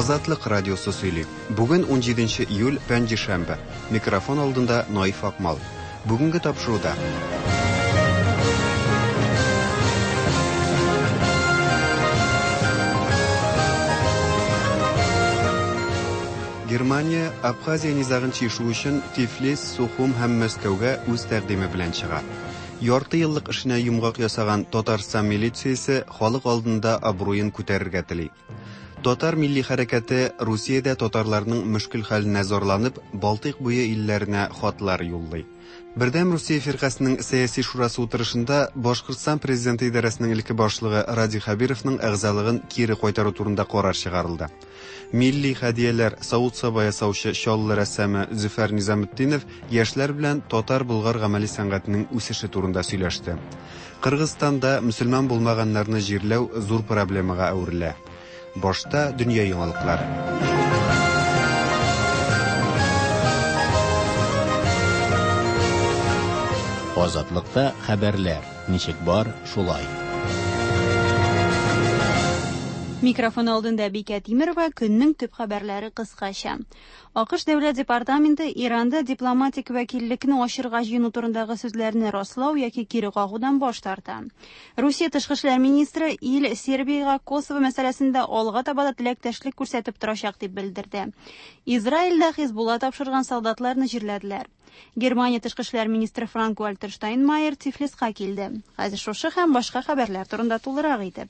Азатлык радиосы сөйли. Бүген 17 июль, пәнҗешәмбе. Микрофон алдында Наиф Акмал. Бүгенге тапшыруда. Германия Абхазия низагын чишү өчен Тифлис, Сухум һәм Мәскәүгә үз тәкъдиме белән чыга. Ярты еллык эшенә йомгак ясаган Татарстан милициясе халык алдында абруен күтәрергә тели. Татар милли хәрәкәте Русиядә татарларның мөшкел хәленә зарланып, Балтыйк буе илләренә хатлар юллый. Бердәм Русия фиркасының сәяси шурасы утырышында Башкортстан президенты идарәсенең элекке башлыгы Радий Хәбировның әгъзалыгын кире кайтару турында карар чыгарылды. Милли хәдияләр савыт-саба ясаучы Чаллы рәссамы Зөфәр Низаметдинов яшьләр белән татар-болгар гамәли сәнгатенең үсеше турында сөйләште. Кыргызстанда мөселман булмаганнарны җирләү зур проблемага әверелә. Башта дөнья яңалыклары. Азатлыкта хәбәрләр ничек бар, шулай. Микрофон алдында Бикә Тимерова, көннең төп хәбәрләре кыскача. АКШ Дәүләт департаменты Иранда дипломатик вәкиллекне ачырга җыену турындагы сүзләрне раслау яки кире кагудан баш тарта. Русия тышкы эшләр министры ил Сербиягә Косово мәсьәләсендә алга таба да теләктәшлек күрсәтеп торачак дип белдерде. Израильдә Хизбулла тапшырган солдатларны җирләделәр. Германия тышкы эшләр министры Франк-Вальтер Штайнмайер Тифлиска килде. Хәзер шушы һәм башка хәбәрләр турында тулырак итеп.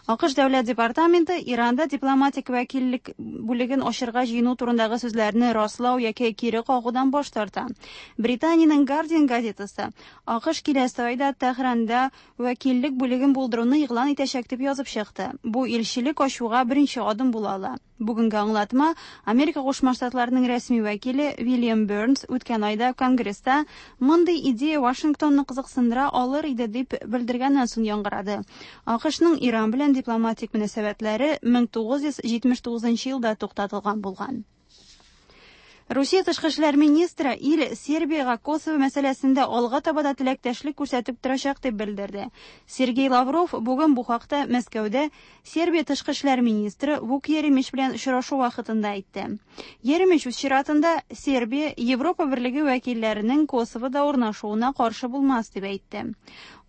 АКШ Дәүләт департаменты Иранда дипломатик вәкиллек бүлеген ачырга җыену турындагы сүзләрне раслау яки кире кагудан баш тарта. Британиянең Guardian газетасы АКШ киләсе айда Тәһранда вәкиллек бүлеген булдыруны игълан итәчәк дип язып чыкты. Бу илчелек ачуга беренче адым була ала. Бүгенге аңлатма Америка Кушма Штатларының рәсми вәкиле Вильям Бернс үткән айда Конгресста мондый идея Вашингтонны кызыксындыра алыр иде дип белдергәннән соң яңгырады. АКШның Иран белән дипломатик мөнәсәбәтләре 1979 елда туктатылган булган. Русия тышкы эшләр министры ил Сербиягә Косово мәсьәләсендә алга таба да теләктәшлек күрсәтеп торачак дип белдерде. Сергей Лавров бүген бу хакта Мәскәүдә Сербия тышкы эшләр министры Вук Еремич белән очрашу вакытында әйтте. Еремич үз чиратында Сербия Европа берлеге вәкилләренең Косовода урнашуына каршы булмас дип әйтте.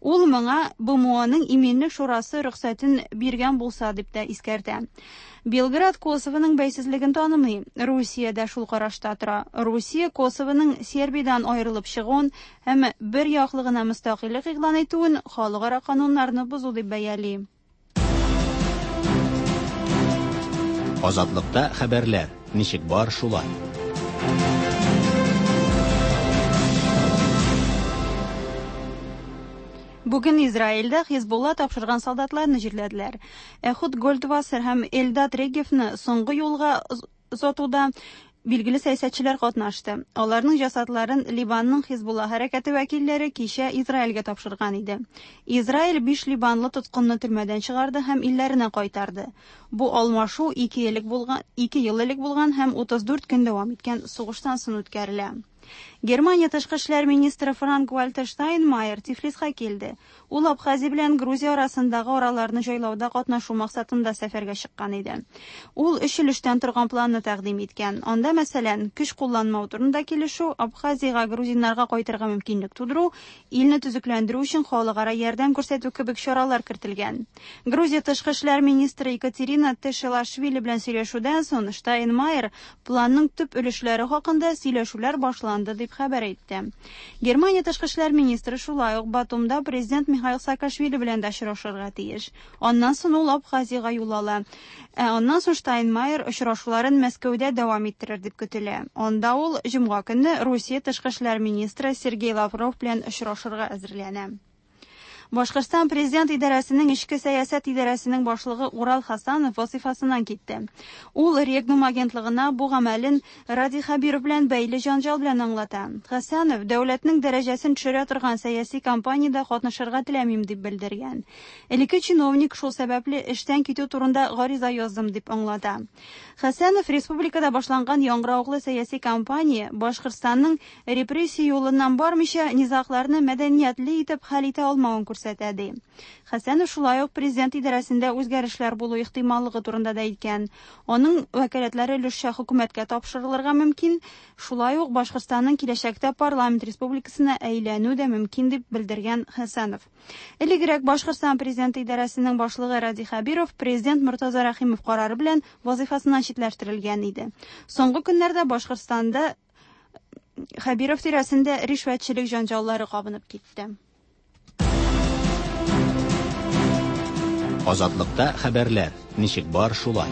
Ул моңа БМОның иминлек шурасы рөхсәтен биргән булса дип тә искәртә. Белград Косовоның бәйсезлеген танымый. Русия дә шул карашта тора. Русия Косовоның Сербиядән аерылып чыгуын һәм бер яклы гына мөстәкыйльлек игълан итүен халыкара кануннарны бозу дип бәяли. Азатлыкта хәбәрләр ничек бар, шулай. Бүген Израильдә Хизбулла тапшырган солдатларны җирләделәр. Эхуд Гольдвассер һәм Эльдад Регевны соңгы юлга озатуда билгеле сәясәтчеләр катнашты. Аларның җасадларын Ливанның Хизбулла хәрәкәте вәкилләре кичә Израильгә тапшырган иде. Израиль 5 ливанлы тоткынны төрмәдән чыгарды һәм илләренә кайтарды. Бу алмашу 2 ел элек булган һәм 34 көн дәвам иткән сугыштан соң үткәрелә. Германия тышкы эшләр министры Франк-Вальтер Штайнмайер Тифлиска килде. Ул Абхазия белән Грузия арасындагы араларны җайлауда катнашу максатында сәфәргә чыккан иде. Ул өч өлештән торган планны тәкъдим иткән. Анда, мәсәлән, көч кулланмау турында килешү, Абхазиягә грузиннарга кайтырга мөмкинлек тудыру, илне төзекләндерү өчен халыкара ярдәм күрсәтү кебек чаралар кертелгән. Грузия тышкы эшләр министры Екатерина Тешелашвили белән сөйләшүдән соң Штайнмайер планның төп өлешләре хакында сөйләшүләр башланды дип хәбәр итте. Германия тышкы эшләр министры шулай ук Батумда президент Михаил Саакашвили белән дә очрашырга тиеш. Аннан соң ул Абхазиягә юл ала. Ә аннан соң Штайнмайер очрашуларын Мәскәүдә дәвам иттерер дип көтелә. Анда ул җомга көнне Русия тышкы эшләр министры Сергей Лавров белән очрашырга әзерләнә. Башкортстан президент идарәсенең эчке сәясәт идарәсенең башлыгы Урал Хасанов вазифасыннан китте. Ул Регнум агентлыгына бу гамәлен Радий Хәбиров белән бәйле җанҗал белән аңлата. Хасанов дәүләтнең дәрәҗәсен төшерә торган сәяси кампаниядә катнашырга теләмим дип белдергән. Элекке чиновник шул сәбәпле эштән китү турында гариза яздым дип аңлата. Хасанов республикада башланган яңгыравыклы сәяси кампания Башкортстанның репрессия юлыннан бармыйча низагларны мәдәниятле итеп хәл итә алмавын күрсәтә, ди. Хәсәнов шулай ук президент идарәсендә үзгәрешләр булу ихтималлыгы турында да әйткән. Аның вәкаләтләре өлешчә хөкүмәткә тапшырылырга мөмкин, шулай ук Башкортстанның киләчәктә парламент республикасына әйләнү дә мөмкин, дип белдергән Хәсәнов. Элегрәк Башкортстан президенты идарәсенең башлыгы Радий Хәбиров президент Мортаза Рәхимов карары белән вазыйфасыннан читләштерелгән иде. Соңгы көннәрдә Башкортстанда Хәбиров тирәсендә ришвәтчелек җанҗаллары кабынып китте. Азатлыкта хәбәрләр, ничек бар шулай.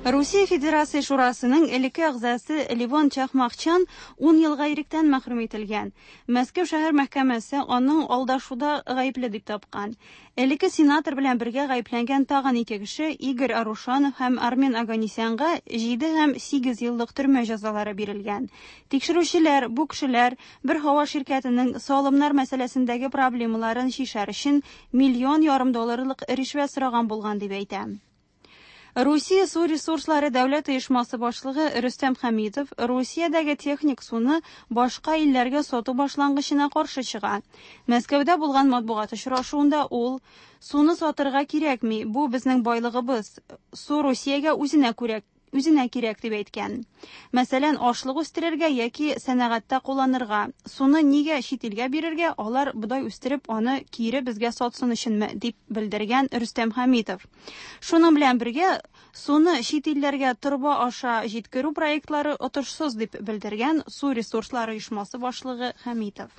Русия Федерация Шурасының элекке әгъзасы Левон Чахмахчан 10 елга иректән мәхрүм ителгән. Мәскәү шәһәр мәхкәмәсе аның алдашуда гаепле дип тапкан. Элекке сенатор белән бергә гаепләнгән тагын ике кеше Игорь Арушанов һәм Армен Аганесянга 7 һәм 8 еллык төрмә җәзалары бирелгән. Тикшерүчеләр бу кешеләр бер һава ширкәтенең салымнар мәсьәләсендәге проблемаларын чишәр өчен миллион ярым долларлык ришвәт сораган булган дип әйтә. Русия су ресурслары дәүләт оешмасы башлыгы Рөстәм Хәмитов Русиядәге техник суны башка илләргә сату башлангычына каршы чыга. Мәскәүдә булган матбугат очрашуында ул суны сатырга кирәкми, бу безнең байлыгыбыз. Су Русиягә үзенә күрә үзенә кирәк дип әйткән. Мәсәлән, ашлык үстерергә яки сәнәгатьтә кулланырга. Суны нигә чит илгә бирергә, алар бодай үстереп, аны кире безгә сатсын өченме, дип белдергән Рөстәм Хәмитов. Шуның белән бергә суны чит илләргә торба аша җиткерү проектлары отышсыз дип белдергән су ресурслары оешмасы башлыгы Хәмитов.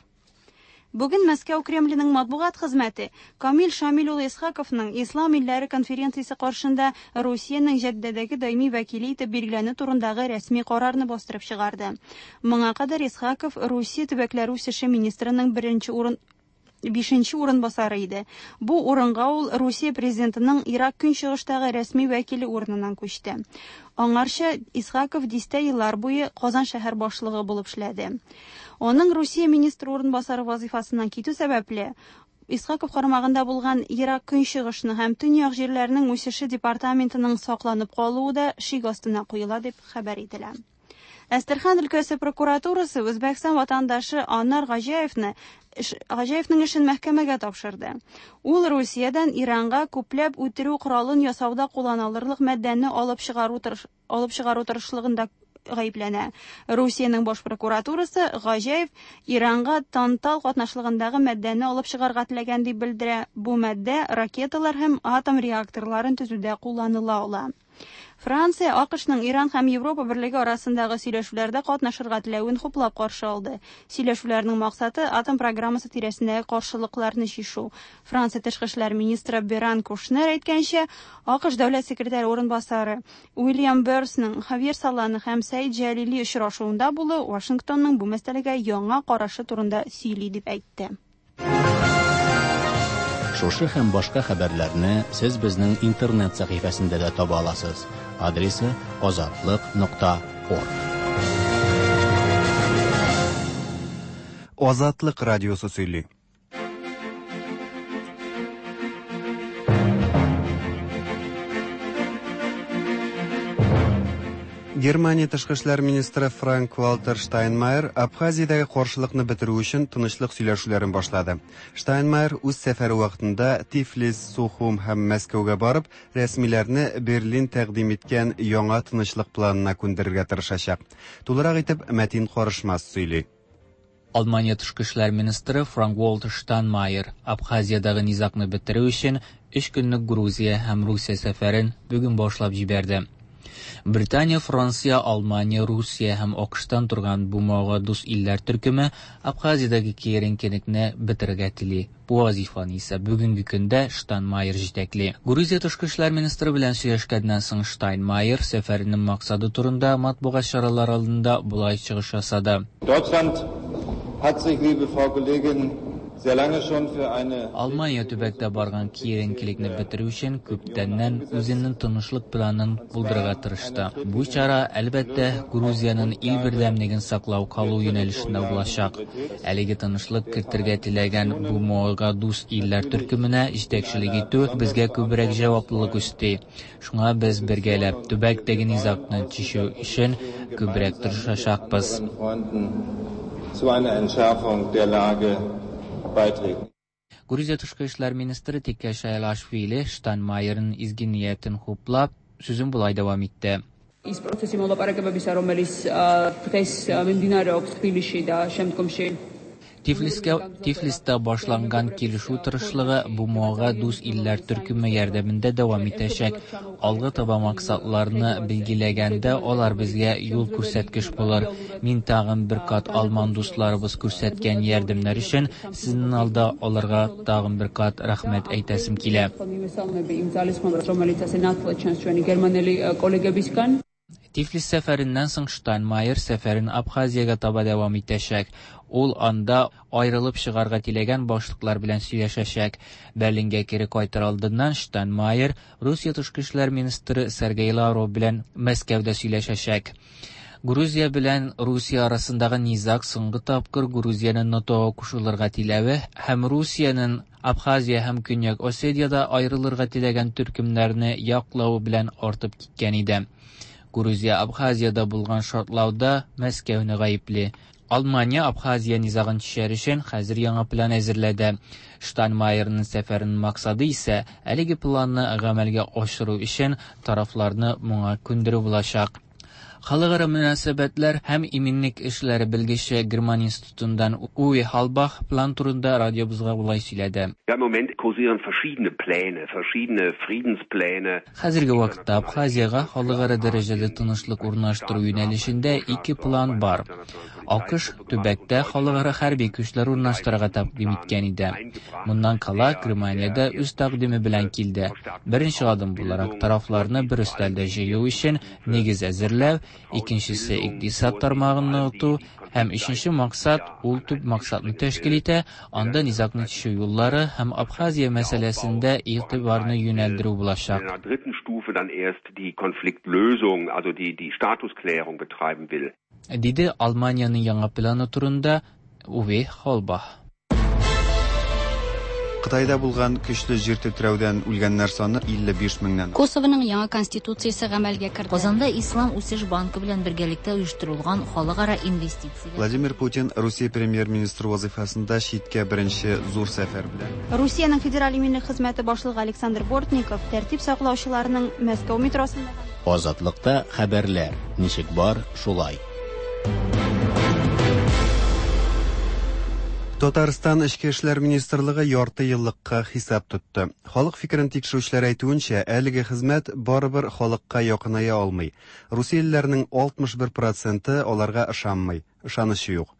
Бүген Мәскәү Кремленең матбугат хезмәте Камил Шамил улы Исхаковның Ислам илләре конференциясе каршында Русиянең Җәддәдәге даими вәкиле итеп билгеләнү турындагы рәсми карарны бастырып чыгарды. Моңа кадәр Исхаков Русия төбәкләре үсеше министрының беренче урын бишенче урынбасары иде. Бу урынга ул Русия президентының Ирак көнчыгыштагы рәсми вәкиле урыныннан күчте. Аңарча Исхаков дистә еллар буе Казан шәһәр башлыгы булып эшләде. Аның Русия министры урынбасары вазифасыннан китү сәбәпле, Исхаков карамагында булган Ерак Көнчыгышны һәм Төньяк җирләрнең үсеше департаментының сакланып калуы да шик астына куела дип хәбәр ителә. Әстерхан өлкәсе прокуратурасы Үзбәкстан ватандашы Анар Гаҗаевны Гаҗаевның эшен мәхкәмәгә тапшырды. Ул Русиядән Иранга күпләп үтерү коралын ясауда кулланылырлык матдәне алып чыгару алып чыгару тырышлыгында гаепләнә. Русиянең баш прокуратурасы Гаҗаев Иранга тантал катнашлыгындагы матдәне алып чыгарга теләгән дип белдерә. Бу матдә ракеталар һәм атом реакторларын төзүдә кулланыла ала. Франция АКШның Иран һәм Европа берлеге арасындагы сөйләшүләрдә катнашырга теләвен хуплап каршы алды. Сөйләшүләрнең максаты атом программасы тирәсендәге каршылыкларны чишү. Франция тышкы эшләр министры Беран Кушнер әйткәнчә, АКШ дәүләт секретаре урынбасары Уильям Берсның Хавьер Солана һәм Сәид Җәлили очрашуында булу Вашингтонның бу мәсьәләгә яңа карашы турында сөйли дип әйтте. Шушы һәм башка хәбәрләрне сез безнең интернет сәхифәсендә дә таба аласыз. Адресы azatliq.org. Азатлык радиосы сөйли. Германия тышкы эшләр министры Франк Вальтер Штайнмайер Абхазиядәге каршылыкны бетерү өчен тынычлык сөйләшүләрен башлады. Штайнмайер үз сәфәре вакытында Тифлис, Сухум һәм Мәскәүгә барып, рәсмиләрне Берлин тәкъдим иткән яңа тынычлык планына күндерергә тырышачак. Тулырак итеп Мәтин Карышмас сөйли. Алмания тышкы эшләр министры Франк Вальтер Штайнмайер Абхазиядәге низагны бетерү өчен өч көнлек Грузия һәм Русия сәфәрен бүген башлап җибәрде. Британия, Франция, Алмания, Русия һәм АКШтан торган БМОга дус илләр төркеме Абхазиядәге киеренкелекне бетерергә тели. Бу вазифаны исә бүгенге көндә Штайнмайер җитәкли. Грузия тышкы эшләр министры белән сөйләшкәннән соң Штайнмайер сәфәренең максаты турында матбугат чаралары алдында болай чыгыш ясады. Deutschland hat sich, liebe Frau Kollegin, Алмания төбәктә барган киеренкелекне бетерү өчен күптәннән үзенең тынычлык планын булдырырга тырышты. Бу чара, әлбәттә, Грузиянең ил бердәмлеген саклау калу юнәлешендә булачак. Әлеге тынычлык кертергә теләгән БМОга дус илләр төркеменә җитәкчелек итү безгә күбрәк җаваплылык өсти. Шуңа без бергәләп төбәктәге низагны чишү өчен күбрәк тырышачакбыз. Zu einer Entschärfung der Lage beiträgt. Грузия тышкы эшләр министры Тика Шайлашвили Штайнмайерның изге ниятен хуплап, сүзен болай дәвам итте. ის პროცესი მოლაპარაკებებისა, რომელიც დღეს მიმდინარეობს თბილისში და შემდგომში Тифлискә Тифлиста башланган килешү тырышлыгы БМОга дус илләр төркеме ярдәмендә дәвам итәчәк. Алга таба максатларны билгеләгәндә алар безгә юл күрсәткеч булыр. Мин тагын бер кат алман дусларыбыз күрсәткән ярдәмнәр өчен сезнең алда аларга тагын бер кат рәхмәт әйтәсем килә. მივესალმები იმ ძალისხმევას, რომელიც ასე ნათლად ჩანს ჩვენი გერმანელი კოლეგებისგან. Тифлис сәфәреннән соң Штайнмайер сәфәрен Абхазиягә таба дәвам итәчәк. Ул анда аерылып чыгарга теләгән башлыклар белән сөйләшәчәк. Берлинга кире кайтыр алдыннан Штайнмайер Русия тышкы эшләр министры Сергей Лавров белән Мәскәүдә сөйләшәчәк. Грузия белән Русия арасындагы низаг соңгы тапкыр Грузиянең НАТОга кушылырга теләве һәм Русиянең Абхазия һәм Көньяк Осетиядә аерылырга теләгән төркемнәрне яклавы белән артып киткән иде. Грузия Абхазиядә булган шартлауда Мәскәүне гаепли. Алмания Абхазия низагын чишәр өчен хәзер яңа план әзерләде. Штайнмайерның сәфәренең максаты исә әлеге планны гамәлгә ашыру өчен тарафларны моңа күндерү булачак. Халыкара мөнәсәбәтләр һәм иминлек эшләре белгече Герман институтыннан Уви Халбах план турында радиобызга болай сөйләде. Ja, im Moment kursieren verschiedene Pläne, verschiedene Friedenspläne. Хәзерге вакытта Абхазиягә халыкара дәрәҗәдә тынычлык урнаштыру юнәлешендә ике план бар. АКШ төбәктә халыкара хәрби көчләр урнаштырырга тәкъдим иткән иде. Моннан кала Германия дә үз тәкъдиме белән килде. Беренче адым буларак тарафларны бер өстәлдә җыю өчен нигез әзерләү, икенчесе икътисад тармагын ныгыту һәм өченче максат, ул төп максатны тәшкил итә, анда низагны чишү юллары һәм Абхазия мәсьәләсендә игътибарны юнәлдерү булачак. In einer dritten Stufe dann erst die Konfliktlösung, also die, die Statusklärung betreiben will. Диде Алманиянең яңа планы турында Уве Холбах. Кытайда булган көчле җир тетрәүдән үлгәннәр саны 55 меңнән. Косованың яңа конституциясе гамәлгә керде. Казанда Ислам үсеш банкы белән бергәлектә оештырылган халыкара инвестицияләр Владимир Путин Русия премьер-министры вазыйфасында читкә беренче зур сәфәр белән. Русиянең Федераль иминлек хезмәте башлыгы Александр Бортников тәртип саклаучыларның Мәскәү метросында Азатлыкта хәбәрләр ничек бар, шулай. Татарстан Эчке эшләр министрлыгы ярты еллыкка хисап тотты. Халык фикерен тикшерүчеләр әйтүенчә, әлеге хезмәт барыбер халыкка якыная алмый. Русиялеләрнең 61 проценты аларга ышанмый, ышанычы юк.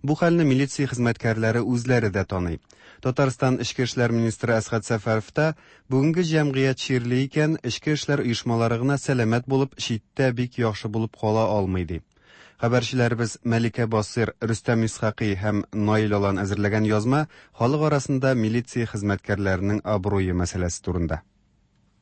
Бу хәлне милиция хезмәткәрләре үзләре дә таный. Татарстан Эчке эшләр министры Әсгать Сәфәров та бүгенге җәмгыять чирле икән, эчке эшләр оешмалары гына сәламәт булып, читтә бик яхшы булып кала алмый ди. Хәбәрчеләребез Мәликә Басыр, Рөстәм Исхакый һәм Наил Алан әзерләгән язма халык арасында милиция хезмәткәрләренең абруе мәсьәләсе турында.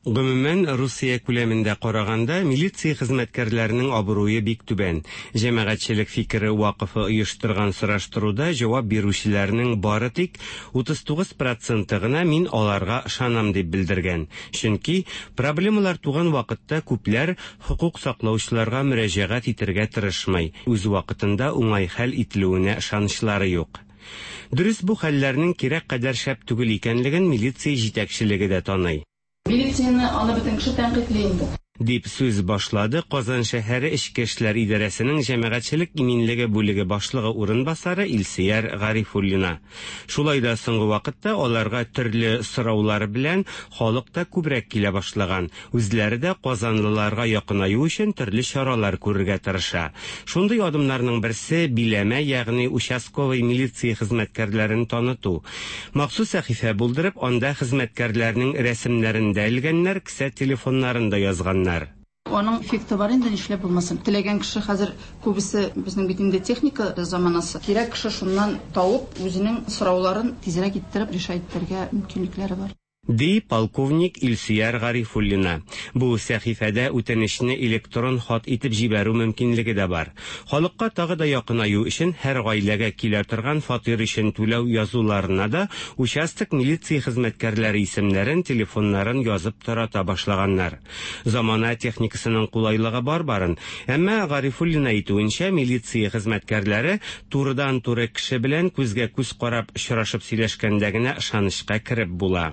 Гомумән, Русия күләмендә караганда, милиция хезмәткәрләренең абруе бик түбән. Җәмәгатьчелек фикере вакыфы оештырган сораштыруда җавап бирүчеләрнең бары тик 39 проценты гына мин аларга ышанам дип белдергән. Чөнки проблемалар туган вакытта күпләр хокук саклаучыларга мөрәҗәгать итәргә тырышмый. Үз вакытында уңай хәл ителүенә ышанычлары юк. Дөрес, бу хәлләрнең кирәк кадәр шәп түгел икәнлеген милиция җитәкчелеге дә таный. Милицияне аны бөтен кеше тәнкыйтьли инде. Дип сүз башлады Казан шәһәре Эчке эшләр идарәсенең җәмәгатьчелек иминлеге бүлеге башлыгы урынбасары Илсөяр Гарифуллина. Шулай да соңгы вакытта аларга төрле сораулар белән халык та күбрәк килә башлаган. Үзләре дә казанлыларга якынаю өчен төрле чаралар күрергә тырыша. Шундый адымнарның берсе биләмә, ягъни участковый милиция хезмәткәрләрен таныту. Махсус сәхифә булдырып, анда хезмәткәрләрнең рәсемнәрен дә элгәннәр, кесә телефоннарын да язганнар. Аның эффекты бар инде, нишләп булмасын. Теләгән кеше хәзер күбесе, безнең бит инде техника заманасы. Кирәк кеше шуннан табып, үзенең сорауларын тизрәк иттереп решать итәргә мөмкинлекләре бар. Ди полковник Илсөяр Гарифуллина. Бу сәхифәдә үтенечне электрон хат итеп җибәрү мөмкинлеге дә бар. Халыкка тагы да якынаю өчен һәр гаиләгә килә торган фатир өчен түләү язуларына да участок милиция хезмәткәрләре исемнәрен, телефоннарын язып тарата башлаганнар. Замана техникасының кулайлыгы бар барын, әмма Гарифуллина әйтүенчә, милиция хезмәткәрләре турыдан-туры кеше белән күзгә-күз карап очрашып сөйләшкәндә генә ышанычка кереп була.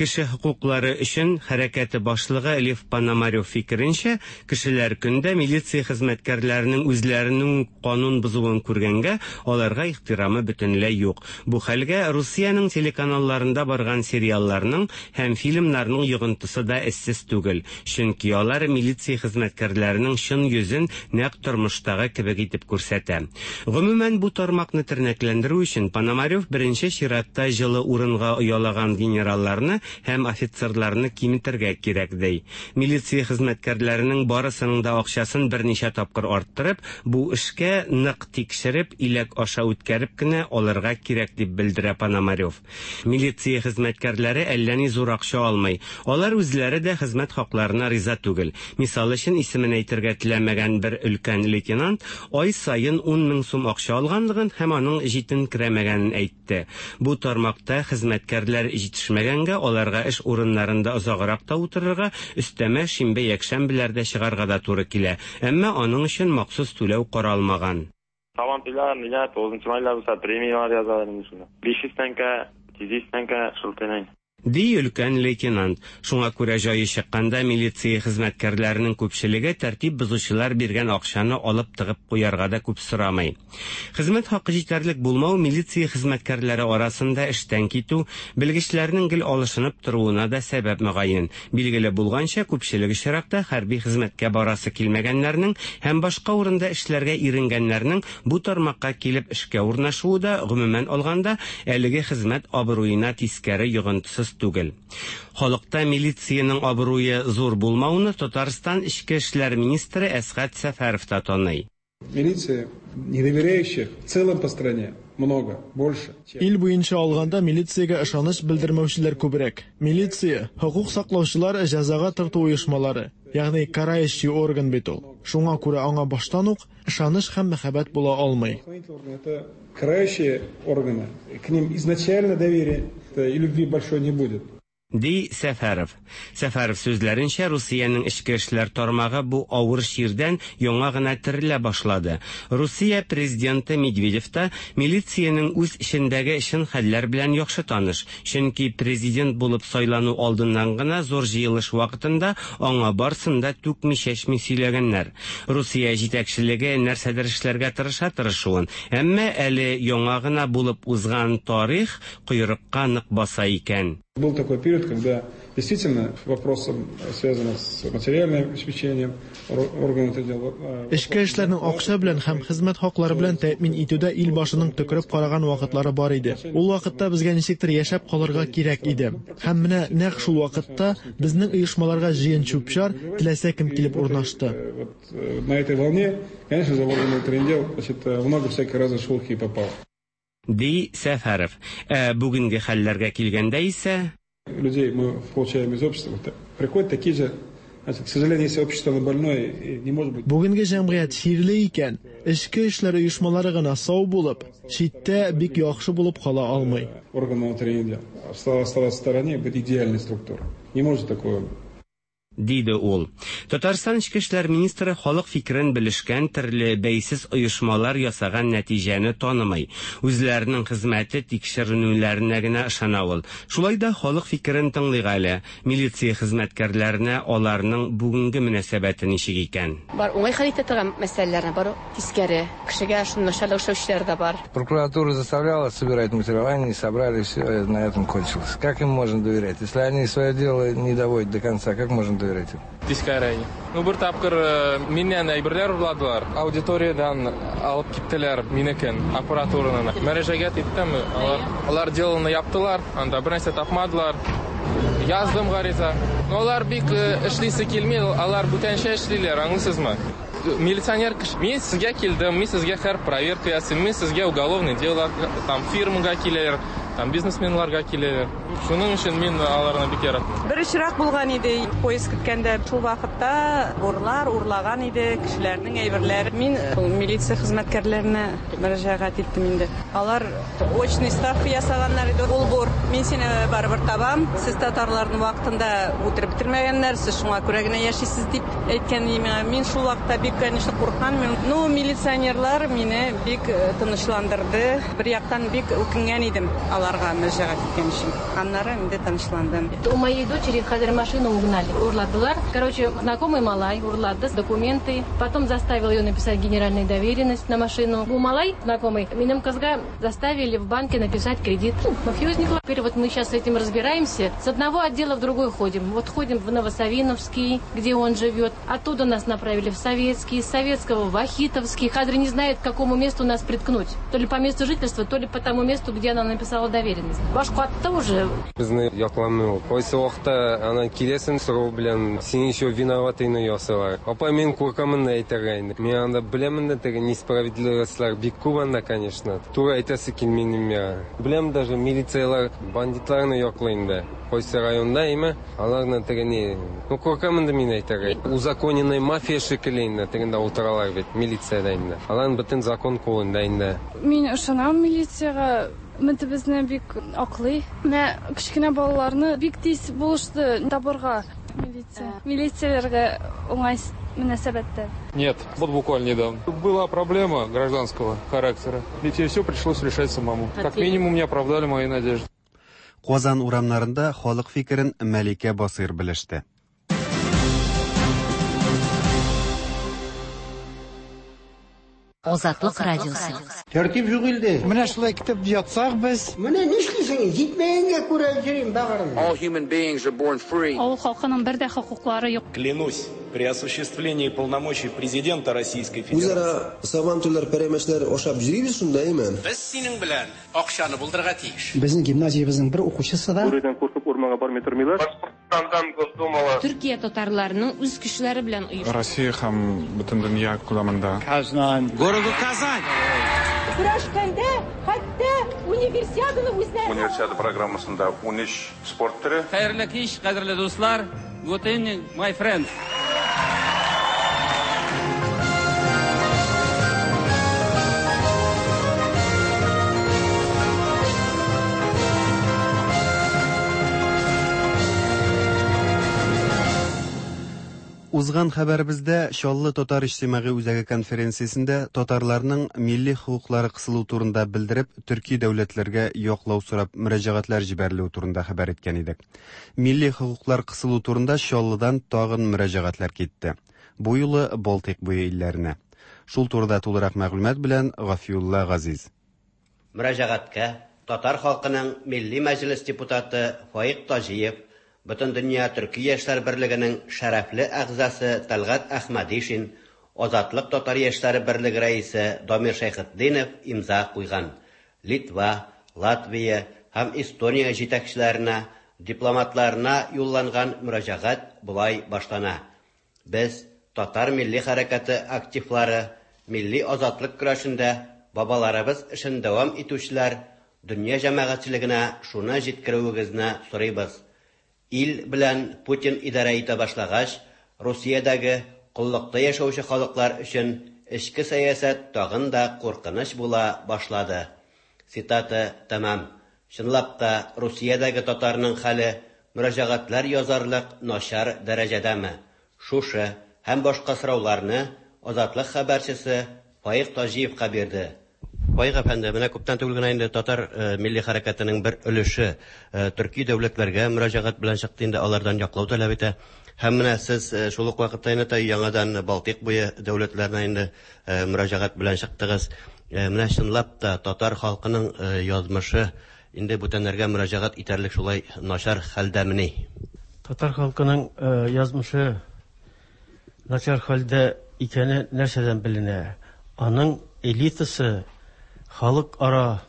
Кеше хокуклары өчен хәрәкәте башлыгы Лев Пономарев фикеренчә, кешеләр көндә милиция хезмәткәрләренең үзләренең үк канун бозуын күргәнгә, аларга ихтирамы бөтенләй юк. Бу хәлгә Русиянең телеканалларында барган сериалларның һәм фильмнарның йогынтысы да эзсез түгел, чөнки алар милиция хезмәткәрләренең чын йөзен нәкъ тормыштагы кебек итеп күрсәтә. Гомумән, бу тармакны тернәкләндерү өчен Пономарев беренче чиратта җылы урынга оялаган генералларны һәм офицерларны киметергә кирәк, ди. Милиция хезмәткәрләренең барысының да акчасын берничә тапкыр арттырып, бу эшкә нык тикшереп, иләк аша үткәреп кенә алырга кирәк, дип белдерә Пономарев. Милиция хезмәткәрләре әллә ни зур акча алмый. Алар үзләре дә хезмәт хакларына риза түгел. Мисал өчен, исемен әйтергә теләмәгән бер өлкән лейтенант ай саен ун мең сум акча алганлыгын һәм аның җитенкерәмәгәнен әйтте. Бу тармакта хезмәткәрләр җитешмәгәнгә, аларга эш урыннарында озаграк та утырырга, өстәмә шимбә-якшәмбеләрдә чыгарга да туры килә. Әмма аның өчен махсус түләү каралмаган. Сабантуйлар, ниләр, тугызынчы майлар булса, премияләр язалар инде шунда. 500 тәңкә, 700 тәңкә шул төнәй. Ди өлкән лейтенант. Шуңа күрә җае чыкканда милиция хезмәткәрләренең күпчелеге тәртип бозучылар биргән акчаны алып тыгып куярга да күп сорамый. Хезмәт хакы җитәрлек булмау милиция хезмәткәрләре арасында эштән китү, белгечләрнең гел алышынып торуына да сәбәп мөгаен. Билгеле булганча, күпчелек очракта хәрби хезмәткә барасы килмәгәннәрнең һәм башка урында эшләргә иренгәннәрнең бу тармакка килеп эшкә урнашуы да, гомумән алганда, әлеге хезмәт абруена тискәре йогынтысыз түгел. Халыкта милициянең абруе зур булмауны Татарстан эчке эшләр министры Әсгать Сәфәров та таный. Милиция недоверяющих в целом по стране много, больше. Ил буенча алганда милициягә ышаныч белдермәүчеләр күбрәк. Милиция, хокук саклаучылар, җәзага тарту оешмалары, ягъни карающий орган бит ул. Шуңа күрә аңа баштан ук ышаныч һәм мәхәббәт була алмый. Это карающие органы, к ним изначально доверия и любви большой не будет. Ди Сәфәров. Сәфәров сүзләренчә, Русиянең эчке эшләр тармагы бу авыр чирдән яңа гына терелә башлады. Русия президенты Медведев та милициянең үз эчендәге чын хәлләр белән яхшы таныш, чөнки президент булып сайлану алдыннан гына зур җыелыш вакытында аңа барсын да түкми-чәчми сөйләгәннәр. Русия җитәкчелеге нәрсәдер эшләргә тырыша тырышуын, әмма әле яңа гына булып узган тарих койрыкка нык баса икән. Был такой период, когда действительно вопросом, связанным с материальным обеспечением органов дел. Эчке эшләрнең акча белән һәм хезмәт хаклары белән тәэмин итүдә ил башының төкереп караган вакытлары бар иде. Ул вакытта безгә ничектер яшәп калырга кирәк иде. Һәм менә нәкъ шул вакытта безнең оешмаларга җыен чүп-чар, теләсә кем килеп урнашты. На этой волне, конечно же, в органы внутренних дел, значит, много всякой разной шелухи попало. Ди Сәфәров. Ә бүгенге хәлләргә килгәндә исә. Людей мы получаем из общества. Приходят такие же, значит, к сожалению, если общество оно больное, не может быть. Бүгенге җәмгыять чирле икән, эчке эшләр оешмалары гына сау булып, читтә бик яхшы булып кала алмый. Органы внутренних дел. Оставаться в стороне, быть идеальной структурой. Не может такого. Диде ул. Татарстан эчке эшләр министры халык фикерен белешкән төрле бәйсез оешмалар ясаган нәтиҗәне танымый. Үзләренең хезмәте тикшеренүләренә генә ышана ул. Шулай да халык фикерен тыңлыйк әле. Милиция хезмәткәрләренә аларның бүгенге мөнәсәбәте ничек икән? Бар уңай хәл итә торган мәсьәләләрне, бар тискәре. Кешегә шуны начарлык эшләүчеләр дә бар. Прокуратура заставляла собирать материалы, они собрали, все, на этом кончилось. Как им можно доверять? Если они свое дело не доводят до конца, как можно доверять им? Тискәре. Ну, бер тапкыр миннән әйберләр урладылар. Аудиториядән алып киттеләр минекен, аппаратураны. Мөрәҗәгать иттем, алар, алар делоны яптылар, анда бер нәрсә тапмадылар. Яздым гариза. Но алар бик эшлисе килми, алар бүтәнчә эшлиләр, аңлыйсызмы? Милиционер кеше, мин сезгә килдем, мин сезгә һәр проверка ясыйм, мин сезгә уголовный дело, там фирмага киләләр, там бизнесменларга киләләр. Шуның өчен мин аларны бик яратмыйм. Бер очрак булган иде, поезд көткәндә, шул вакытта урлар урлаган иде кешеләрнең әйберләрен. Мин милиция хезмәткәрләренә мөрәҗәгать иттем инде. Алар очный ставка ясаганнар иде. Ул бур, мин сине барыбер табам, сез татарларны вакытында үтереп бетермәгәннәр, сез шуңа күрә генә яшисез дип әйткән иде миңа. Мин шул вакытта бик, конечно, курыккан. Ну, милиционерлар мине бик тынычландырды. Бер яктан бик үкенгән идем аларга мөрәҗәгать иткән өчен. Аннары инде тынычландым. У моей дочери хәзер машину угнали, урладылар. Короче, знакомый малай урлады документы, потом заставил ее написать генеральную доверенность на машину. Бу малай знакомый, минем кызга заставили в банке написать кредит. Мафиозник. Теперь вот мы сейчас с этим разбираемся. С одного отдела в другой ходим. Вот ходим в Новосавиновский, где он живет. Оттуда нас направили в Советский, из Советского в Вахитовский. Хәзер не знает, к какому месту нас приткнуть. То ли по месту жительства, то ли по тому месту, где она написала доверенность. Баш катты уже. Безне якламый ул. Кайсы вакытта аннан киләсең сорау белән, син еще виноватыйны ясыйлар. Апа, мин куркамын да әйтергә инде. Мин анда беләмен дә теге несправедливостьлар бик күп анда, конечно. Туры әйтәсе килми инде миңа. Беләм даже милицияләр бандитларны яклый инде. Кайсы районда име, аларны теге ни, ну куркам инде мин әйтергә. Узаконенный мафия шикелле инде тегендә утыралар бит, милициядә инде. Аларның бөтен закон кулында инде. Мин ышанам милициягә, безне бик аклый. Менә кечкенә балаларны бик тиз булышты табырга милиция. Милицияләргә уңай мөнәсәбәттә. Нет, вот буквально недавно. Была проблема гражданского характера. И все пришлось решать самому. Как минимум, не оправдали мои надежды. Казан урамнарында халык фикерен Мәликә Басыйр белеште. Азатлык радиосы. Тәртип юк илдә. Менә шулай көтеп ятсак без. Менә нишлисең, җитмәгәнгә күрә йөрим бәгырем. All human beings are born free. Авыл халкының бер дә хокуклары юк. Клянусь, при осуществлении полномочий президента Российской Федерации. Үзара сабантуйлар, пәрәмәчләр ашап йөрибез шунда, әйме? Без синең белән акчаны булдырырга тиеш. Безнең гимназиябезнең бер укучысы да. Бүредән куркып урманга бармый тормыйлар. Башкортстандан Госдумала. Төркия татарларының үз көчләре белән оештырган. Россия һәм бөтен дөнья күләмендә. Казан. Городу Казань. Көрәшкәндә хәтта универсиаданы үзләре. Универсиада программасында 13 спорт төре. Хәерле кич, кадерле дуслар. Good evening, my friends. Узган хәбәребездә Чаллы татар иҗтимагый үзәге конференциясендә татарларның милли хокуклары кысылу турында белдереп, төрки дәүләтләргә яклау сорап мөрәҗәгатьләр җибәрелүе турында хәбәр иткән идек. Милли хокуклар кысылу турында Чаллыдан тагын мөрәҗәгатьләр китте. Бу юлы Балтыйк буе илләренә. Шул турыда тулырак мәгълүмат белән Гафиулла Газиз. Мөрәҗәгатькә татар халкының Милли мәҗлес депутаты Фаик Таҗиев, Бөтендөнья төрки яшьләр берлегенең шәрәфле әгъзасы Тәлгать Әхмәдишин, Азатлык татар яшьләре берлеге рәисе Дамир Шәйхетдинов имза куйган. Литва, Латвия һәм Эстония җитәкчеләренә, дипломатларына юлланган мөрәҗәгать болай башлана, Без, татар милли хәрәкәте активлары, милли азатлык көрәшендә бабаларыбыз эшен дәвам итүчеләр, дөнья җәмәгатьчелегенә шуны җиткерүегезне сорыйбыз, Ил белән Путин идарә итә башлагач, Русиядәге коллыкта яшәүче халыклар өчен эчке сәясәт тагын да куркыныч була башлады. Цитата тәмам. Чынлап та, Русиядәге татарның хәле мөрәҗәгатьләр язарлык начар дәрәҗәдәме? Шушы һәм башка сорауларны Азатлык хәбәрчесе Фаик Таҗиевка бирде. Фаик әфәнде, менә күптән түгел генә инде татар милли хәрәкәтенең бер өлеше төрки дәүләтләргә мөрәҗәгать белән чыкты инде, алардан яклау таләп итә. Һәм менә сез шул ук вакытта инде яңадан Балтыйк буе дәүләтләренә инде мөрәҗәгать белән чыктыгыз. Менә чынлап та татар халкының язмышы инде бүтәннәргә мөрәҗәгать итәрлек шулай начар хәлдәмени? Татар халкының язмышы начар хәлдә икәне нәрсәдән беленә? Аның элитасы халыкара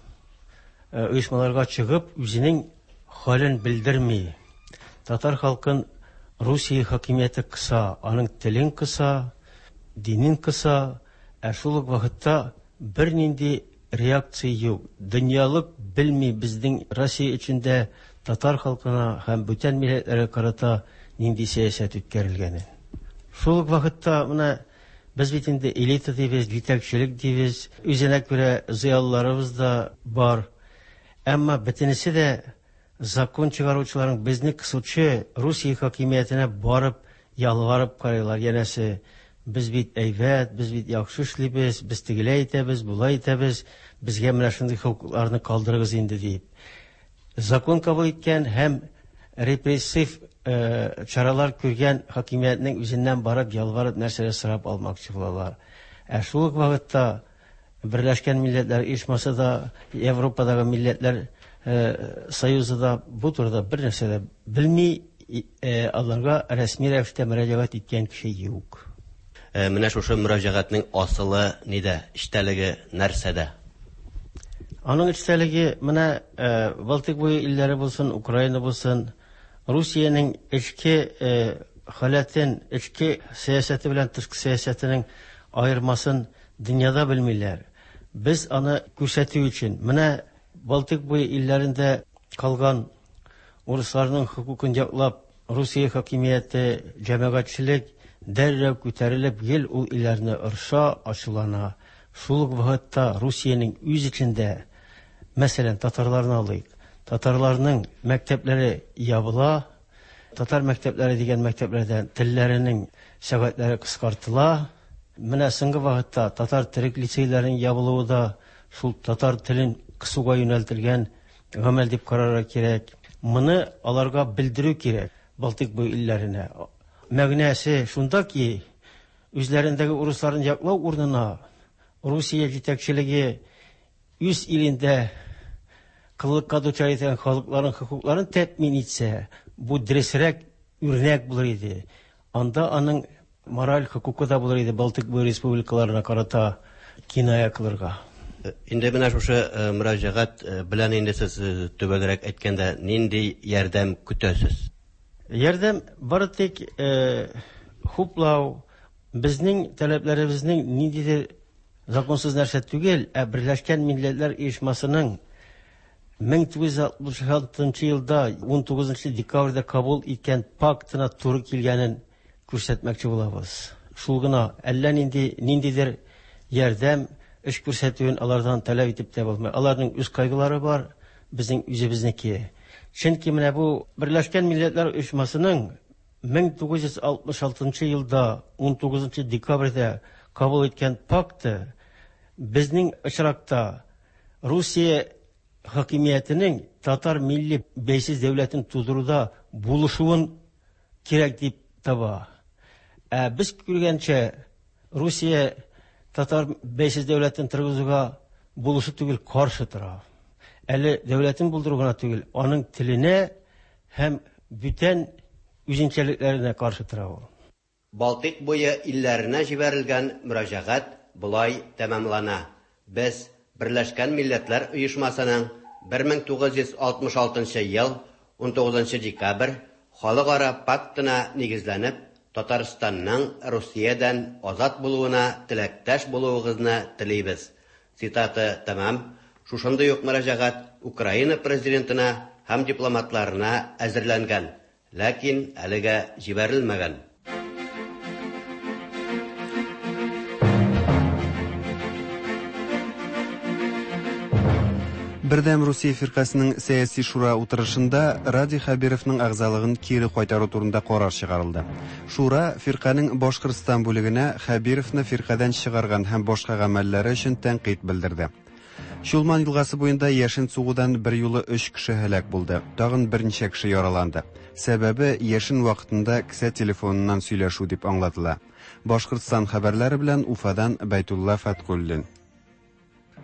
оешмаларга чыгып, үзенең хәлен белдерми. Татар халкын Русия хакимияте кыса, аның телен кыса, динен кыса, ә шул ук вакытта бернинди реакция юк. Дөньялык белми безнең Россия эчендә татар халкына һәм бүтән милләтләргә карата нинди сәясәт үткәрелгәнен. Шул ук вакытта менә без бит инде элита дибез, җитәкчелек дибез, үзенә күрә зыялыларыбыз да бар. Әмма бөтенесе дә закон чыгаручыларның безне кысучы Русия хакимиятенә барып ялварып карыйлар. Янәсе, без бит әйбәт, без бит яхшы эшлибез, без тегеләй итәбез, болай итәбез, безгә менә шундый хокукларны калдырыгыз инде дип. Закон кабул иткән һәм репрессив чаралар күргән хакимиятнең үзеннән барып ялварып нәрсәләр сорап алмакчы булалар. Ә шул ук вакытта Берләшкән Милләтләр Оешмасы да, Европадагы милләтләр союзы да бу турыда бер нәрсә дә белми, аларга рәсми рәвештә мөрәҗәгать иткән кеше юк. Менә шушы мөрәҗәгатьнең асылы нидә, эчтәлеге нәрсәдә? Аның эчтәлеге менә Балтыйк буе илләре булсын, Украина булсын, Русиянең эчке халәтен, эчке сәясәте белән тышкы сәясәтенең аермасын дөньяда белмиләр. Без аны күрсәтү өчен, менә Балтыйк буе илләрендә калган урысларның хокукын яклап, Русия хакимияте, җәмәгатьчелек дәррәү күтәрелеп гел ул илләрне орыша, ачулана. Шул ук вакытта Русиянең үз эчендә, мәсәлән, татарларны алыйк. Татарларның мәктәпләре ябыла, татар мәктәпләре дигән мәктәпләрдә телләренең сәгатьләре кыскартыла. Менә соңгы вакытта татар төрек лицейларының ябылуы да шул татар телен кысуга юнәлтелгән гамәл дип карарга кирәк. Моны аларга белдерү кирәк, Балтыйк буе илләренә. Мәгънәсе шунда ки, үзләрендәге урысларын яклау урынына Русия җитәкчелеге үз илендә коллыкка дучар ителгән халыкларның хокукларын тәэмин итсә, бу дөресрәк үрнәк булыр иде. Анда аның мораль хокукы да булыр иде Балтыйк буе республикаларына карата киная кылырга. Инде менә шушы мөрәҗәгать белән инде сез төгәлрәк әйткәндә нинди ярдәм көтәсез? Ярдәм бары тик хуплау, безнең таләпләребезнең ниндидер законсыз нәрсә түгел, ә Берләшкән Милләтләр Оешмасының 1966 елда 19 декабрьдә кабул иткән пактына туры килгәнен күрсәтмәкче булабыз. Шул гына, әллә нинди ниндидер ярдәм, эш күрсәтүен алардан таләп итеп тә булмый. Аларның үз кайгылары бар, безнең үзебезнеке. Чөнки менә бу Берләшкән Милләтләр Оешмасының 1966 елда 19 декабрьдә кабул иткән пакты безнең очракта Русия хакимиятенең татар милли бәйсез дәүләтен тудыруда булышуын кирәк дип таба. Ә без күргәнчә, Русия татар бәйсез дәүләтен торгызуга булышу түгел, каршы тора. Әле дәүләтен булдыру гына түгел, аның теленә һәм бүтән үзенчәлекләренә каршы тора ул. Балтыйк буе илләренә җибәрелгән мөрәҗәгать болай тәмамлана, Без, Берләшкән Милләтләр Оешмасының 1966 ел, 19 декабрь, Халыкара пактына нигезләнеп, Татарстанның Русиядән азат булуына теләктәш булуыгызны телибез. Цитата тәмам. Шушындый ук мөрәҗәгать Украина президентына һәм дипломатларына әзерләнгән. Ләкин әлегә җибәрелмәгән. Бердәм Русия фиркасының сәяси шура утырышында Радий Хәбировның әгъзалыгын кире кайтару турында карар чыгарылды. Шура фирканең Башкортстан бүлегенә Хәбировны фиркадән чыгарган һәм башка гамәлләре өчен тәнкыйть белдерде. Чулман елгасы буенда яшен сугудан берьюлы өч кеше һәлак булды, тагын берничә кеше яраланды. Сәбәбе, яшен вакытында кесә телефоныннан сөйләшү дип аңлатыла. Башкортстан хәбәрләре белән Уфадан Бәйтулла Фәткуллин.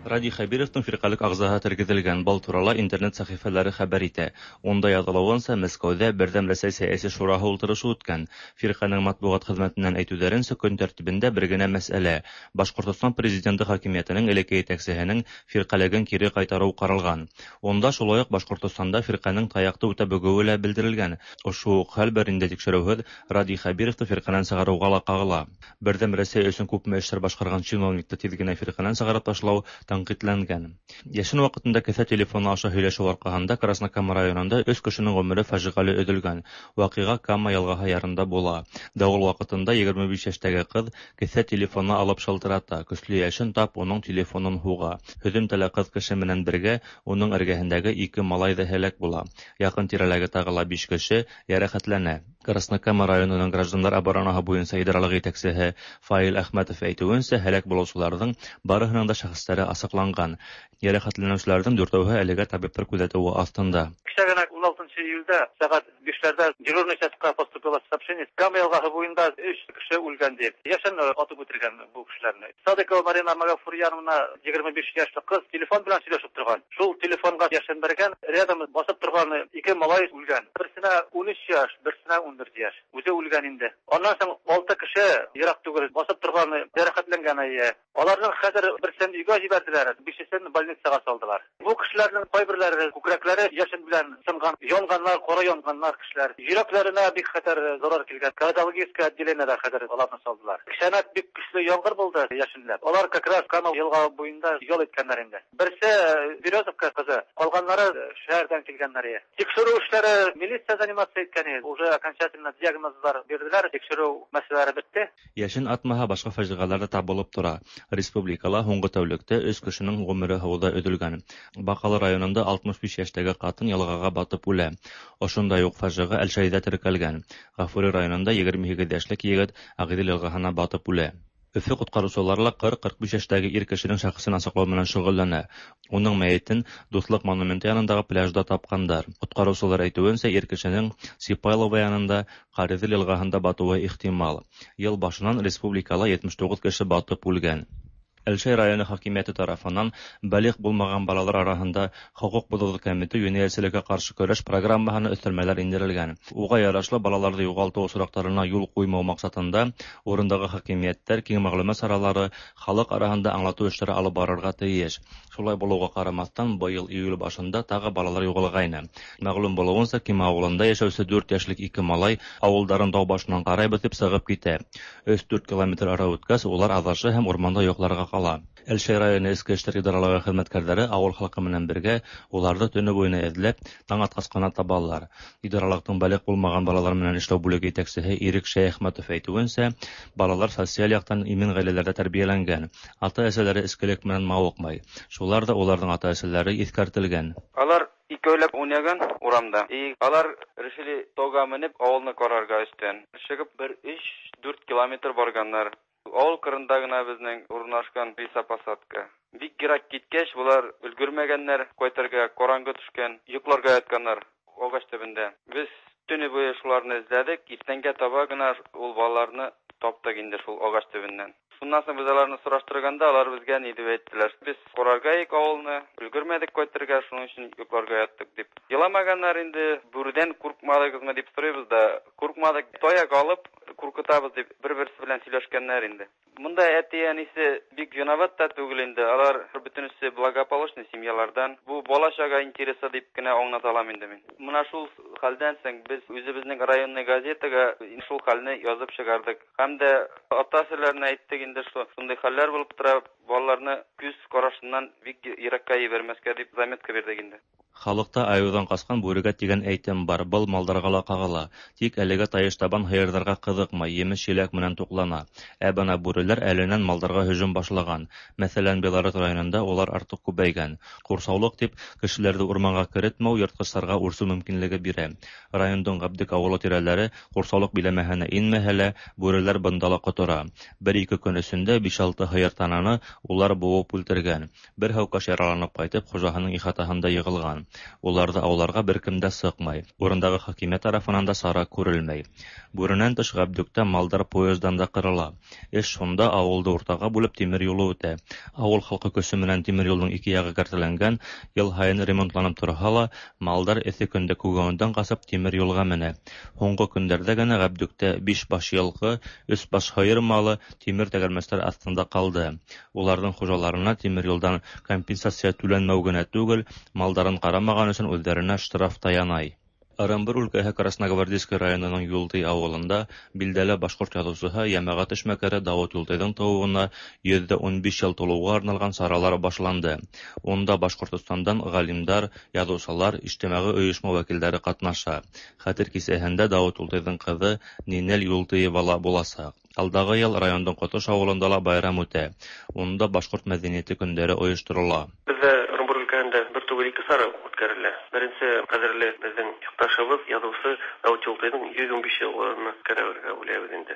Радий Хәбировның фиркалек ағзаһы тергеҙелгән. Был турала интернет сәхифәләре хәбәр итә. Унда яҙылыуынса, Мәскәүҙә Берҙәм Рәсәй сәйәси шураһы ултырышы үткән. Фирҡәнең матбуғат хеҙмәтенән әйтеүҙәренсә, көн тәртибендә бер генә мәсьәлә — Башҡортостан президенты хакимиәтенең элекке етәксеһенең фирҡәлеген кире ҡайтарыу ҡаралған. Унда шулай уҡ Башҡортостанда фирҡәнең таяҡты үтә бөгөүе лә белдерелгән. Ошо уҡ хәл бер ниндәй тикшереүһеҙ Радий Хәбировты фирҡәнән сығарыуға ла ҡағыла. Берҙәм Рәсәй өсөн күпме эштәр башҡарған чиновникты тиҙ генә фирҡәнән сығарып ташлау тәнҡитләнгән. Йәшен ваҡытында кеҫә телефоны аша һөйләшеү арҡаһында Краснокама районында өс кешенең ғүмере фажиғәле өҙөлгән. Ваҡиға Кама йылғаһы ярында була. Дауыл ваҡытында 25 йәштәге ҡыҙ кеҫә телефоны алып шылтырата. Көслө йәшен тап уның телефонын һуға. Һөҙөмтәлә ҡыҙ кеше менән бергә уның эргәһендәге 2 малай ҙа һәләк була. Яҡын тирәләге тағы ла 5 кеше йәрәхәтләнә. Краснокама районының граждандар оборонаһы буйынса идаралыҡ етәксеһе Фаил Әхмәтов әйтеүенсә, һәләк булыусыларҙың барыһының да шәхестәре асыҡланған. Йәрәхәтләнеүселәрҙең 4-әүһе әлегә табиптар күҙәтеүе аҫтында. Кисә генә 16 июлдә сәғәт 5-ләрҙә дежурный частьҡа поступило сообщение. Кама йылғаһы буйында 3 кеше үлгән тип. Йәшен атып үтергән был кешеләрне. Садыкова Марина Магафурьяновна 25 йәшле ҡыҙ телефон белән сөйләшеп торған. Шул телефонға йәшен бәргән, рядом басып торған 2 малай үлгән. Берсенә 13 йәш, берсенә 14 йәш. Үҙе үлгән инде. Аннан һуң 6 кеше ерак түгел басып торған йәрәхәтләнгән. Аларның хәҙер берсен өйгә җибәрделәр, 5-сен больницаға салдылар. Бу кешеләрнең кайберләре күкрәкләре яшен белән сынган, янганнар, кара янганнар кешеләр. Йөрәкләренә бик хәтәр зарар килгән. Кардиологическое отделениедә хәзер аларны салдылар. Кешәнәк бик көчле яңгыр булды яшенләп. Алар как раз Кама йылға буенда ял иткәннәр инде. Берсе Березовка кызы, калганнары шәһәрдән килгәннәр. Тикшерү эшләре милиция заниматься иткән, уже окончательно диагнозлар бирделәр, тикшерү мәсьәләре бетте. Йәшен атмаһа башҡа фажиғәләр ҙә табылып тора. Республикала һуңғы тәүлектә 3 кешенең ғүмере һыуҙа өҙөлгән. Баҡалы районында 65 йәштәге ҡатын йылғаға батып үлә. Ошондай уҡ фажиғә Әлшәйҙә теркәлгән. Ғафури районында 28 йәшлек егет Ағиҙел йылғаһына батып үлә. Өфө ҡотҡарыусылары ла 40-45 йәштәге ир кешенең шәхесен асыҡлау менән шөғөлләнә. Уның мәйетен Дуҫлыҡ монументы янындағы пляжда тапҡандар. Ҡотҡарыусылар әйтеүенсә, ир кешенең Сипайлова янында Ҡариҙел йылғаһында батыуы ихтимал. Йыл башынан республикала 79 кеше батып үлгән. Әлшәй районы хакимиәте тарафынан балиғ булмаған балалар араһында хоҡуҡ боҙоуҙы кәметеү йүнәлешлегә ҡаршы көрәш программаһына өҫтәлмәләр индерелгән. Уға ярашлы балаларҙы юғалтыу осраҡтарына юл ҡуймау маҡсатында урындағы хакимиәттәр киң мәғлүмәт саралары халыҡ араһында аңлатыу эштәре алып барырға тейеш. Шулай булыуға ҡарамаҫтан, быйыл июль башында тағы балалар юғалғайны. Мәғлүм булыуынса, Кима ауылында йәшәүсе 4 йәшлек 2 малай ауылдарын тау башынан ҡарайбыҙ тип сығып китә. 3-4 километр ара үткәс, улар аҙаша һәм урманда йоҡларға ҡала. Әлшәй районы Эске эштәр идаралығы хеҙмәткәрҙәре ауыл халҡы менән бергә уларҙы төнө буйына эҙләп, таң атҡас ҡына табалар. Идаралыҡтың балиғ булмаған балалар менән эшләү бүлеге етәксеһе Ирек Шәйәхмәтов әйтеүенсә, балалар социаль яҡтан имен ғаиләләрҙә тәрбиәләнгән. Ата-әсәләре эскелек менән мауыҡмай. Шулар ҙа уларҙың ата-әсәләре иҫкәртелгән. Алар икәүләп уйнаган урамда. И алар решили тауға менеп ауылны ҡарарға өҫтән. Сығып бер 3-4 километр барганнар. Ауыл ҡырында ғына беҙҙең урынлашҡан лесопосадка. Бик йыраҡ киткәс, улар өлгөрмәгәндәр, ҡайтырға ҡараңғы төшкән, йоҡларға ятҡандар ағас төбөндә. Беҙ төнө буйы шуларны эҙләдек, иртәнгә таба ғына ул балаларны таптыҡ инде шул ағас төбөннән. Шуннан һуң беҙ уларны һораштырғанда, улар беҙгә ни тип әйттеләр: "Беҙ ҡарарға ик ауылны, өлгөрмәдек ҡайтырға, шуның өсөн йоҡларға яттыҡ" тип. Иламағандар инде, бүрҙән ҡурҡмаҙығыҙмы тип һорайбыҙ ҙа, ҡурҡмаҙыҡ, таяҡ алып ҡурҡытабыҙ тип бер-береһе белән һөйләшкәндәр инде. Бында әти-әнисе бик виноват та түгел инде, алар бөтөнөсө благополучный семьялардан. Бу бала-саға интересы дип кенә аңлата алам инде мин. Мына шул хәлдән соң беҙ үҙебеҙҙең районный газетаға шул хәлне яҙып сығарҙыҡ. Һәм дә ата-әсәләренә әйттек инде, шундай хәлләр булып тора, балаларны күҙ ҡарашынан бик йыраҡҡа ебәрмәҫкә дип заметка бирҙек инде. Халыҡта айыуҙан ҡасҡан бүрегә тигән әйтем бар, был малдарға ла ҡағыла. Тик әлегә тайыш табан һыйырҙарға ҡыҙыҡмай, емеш-еләк менән туҡлана. Ә бына бүреләр әленән малдарға һөжүм башлаған. Мәҫәлән, Белорет районында улар артыҡ күбәйгән. Ҡурсаулыҡ тип кешеләрҙе урманға керетмәү йыртҡыстарға үрсеү мөмкинлеге бирә. Райондың Ғәбдек ауылы тирәләре ҡурсаулыҡ биләмәһенә инмәһә лә, бүреләр бында ла ҡотора. Бер-ике көн эсендә 5-6 һыйыр тананы улар быуып үлтергән. Бер һәүкәш яраланып ҡайтып, хужаһының ихатаһында йығылған. Уларҙы ауларға бер кем дә сыҡмай. Урындағы хакимиәт тарафынан да сара күрелмәй. Бүренән тыш Ғәбдүктә малдар поездан да ҡырыла. Эш шунда, ауылды уртаға бүлеп тимер юлы үтә. Ауыл халҡы көсө менән тимер юлдың ике яғы кәртәләнгән, йыл һайын ремонтланып торһа ла, малдар эҫе көндә күгәүендән ҡасып тимер юлға менә. Һуңғы көндәрҙә генә Ғәбдүктә 5 баш йылҡы, 3 баш һыйыр малы тимер тәгәрмәстәр аҫтында ҡалды. Уларҙың хужаларына тимер юлдан компенсация түләнмәү генә түгел, малдарын ҡарамаған өсөн үҙҙәренә штраф та янай. Ырымбур өлкәһе Красногвардейский районының Юлтый ауылында билдәле башҡорт яҙыусыһы, йәмәғәт эшмәкәре Дауыт Юлтыйҙың тыуыуына 115 йыл тулыуға арналған саралар башланды. Унда Башҡортостандан ғалимдар, яҙыусылар, ижтимағи ойошма вәкилдәре ҡатнаша. Хәтер кисәһендә Дауыт Юлтыйҙың ҡыҙы Нинел Юлтыева ла буласаҡ. Алдағы йыл райондың Ҡотош ауылында ла байрам үтә. Унда башҡорт мәҙәниәте көндәре ойошторола. Беҙҙә Ырымбур өлкәһендә бер түгел ике сара үткәрелә. Беренсе ҡәҙерле беҙҙең яҡташыбыҙ, яҙыусы Дауыт Юлтыйҙың 115 йыллығын үткәрергә уйлайбыҙ инде.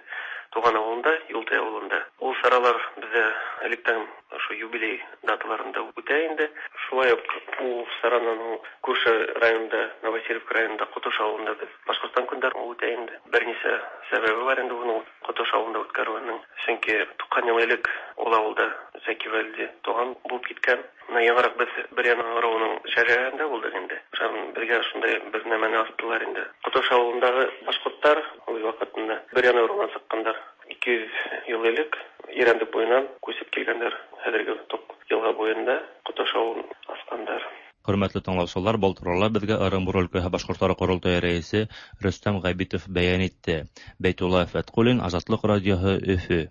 Туған ауылында, Юлтай ауылында. Ул саралар беҙҙә электән ошо юбилей даталарында үтә инде. Шулай уҡ ул сараның күрше районда, Новосельевка районында, Ҡотош ауылында беҙ Башҡортостан көндәрен үтә инде. Бер нисә сәбәбе бар инде уның Ҡотош ауылында үткәреүенең. Сөнки 90 йыл элек ул ауылда Зәки Вәлиди туған булып киткән. Бына яңыраҡ беҙ бер яна ырыуының шәжәрәһендә булдыҡ инде. Шунан беҙгә шундай бер нәмәне астылар инде. Ҡотош ауылындағы башҡорттар ул ваҡытында бер яна ырыуынан сыҡҡандар. 200 йыл элек Ирәндек буйынан күсеп килгәндәр. Хәҙерге Тоҡ йылға буйында Ҡотош ауылын асҡандар. Хөрмәтле тыңлаусылар, был турала беҙгә Ырымбур өлкәһе башҡорттары ҡоролтайы рәйесе Рөстәм Ғәбитов бәйән итте. Бәйтулла Фәтҡуллин, Азатлыҡ радиоһы, Өфө.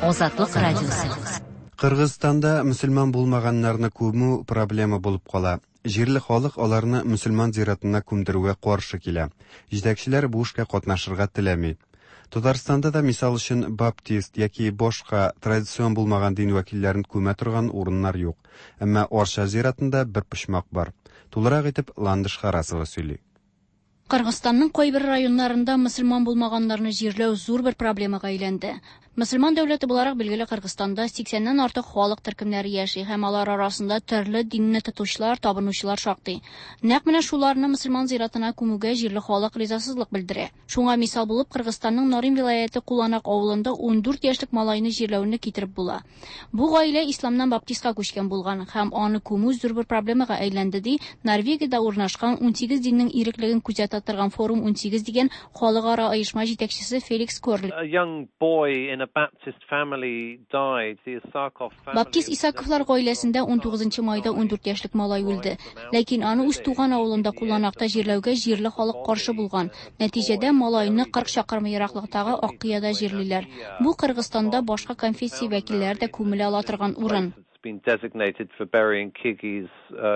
Азатлык радиосы. Кыргызстанда мөселман булмаганнарны күмү проблема булып кала. Җирле халык аларны мөселман зиратына күмдерүгә каршы килә. Җитәкчеләр бу эшкә катнашырга теләми. Татарстанда да мисал өчен баптист яки башка традицион булмаган дин вәкилләрен күмә торган урыннар юк. Әмма Арча зиратында бер почмак бар. Тулырак итеп Ландыш Харасова сөйли. Кыргызстанның кайбер районнарында мөселман булмаганнарны җирләү зур бер проблемага әйләнде. Мөселман дәүләте буларак билгеле Кыргызстанда 80-нән артык халык төркемнәре яши һәм алар арасында төрле динне тотучылар, табынучылар шактый. Нәкъ менә шуларны мөселман зиратына күмүгә җирле халык ризасызлык белдерә. Шуңа мисал булып Кыргызстанның Нарин вилаяте Куланак авылында 14 яшьлек малайны җирләүне китереп була. Бу гаилә исламнан баптистка күчкән булган һәм аны күмү зур бер проблемага әйләнде, ди Норвегиядә урнашкан 18 диннең иреклеген күзәтә торган Форум 18 дигән халыкара оешма җитәкчесе Феликс Корли. Баптист Исаковлар гаиләсендә 19 майда 14 яшьлек малай үлде. Ләкин аны үз туган авылында Куланакта җирләүгә җирле халык каршы булган. Нәтиҗәдә малайны 40 чакрым ераклыктагы Аккыяда җирлиләр. Бу Кыргызстанда башка конфессия вәкилләре дә күмелә ала торган урын. Been designated for burying Kyrgyz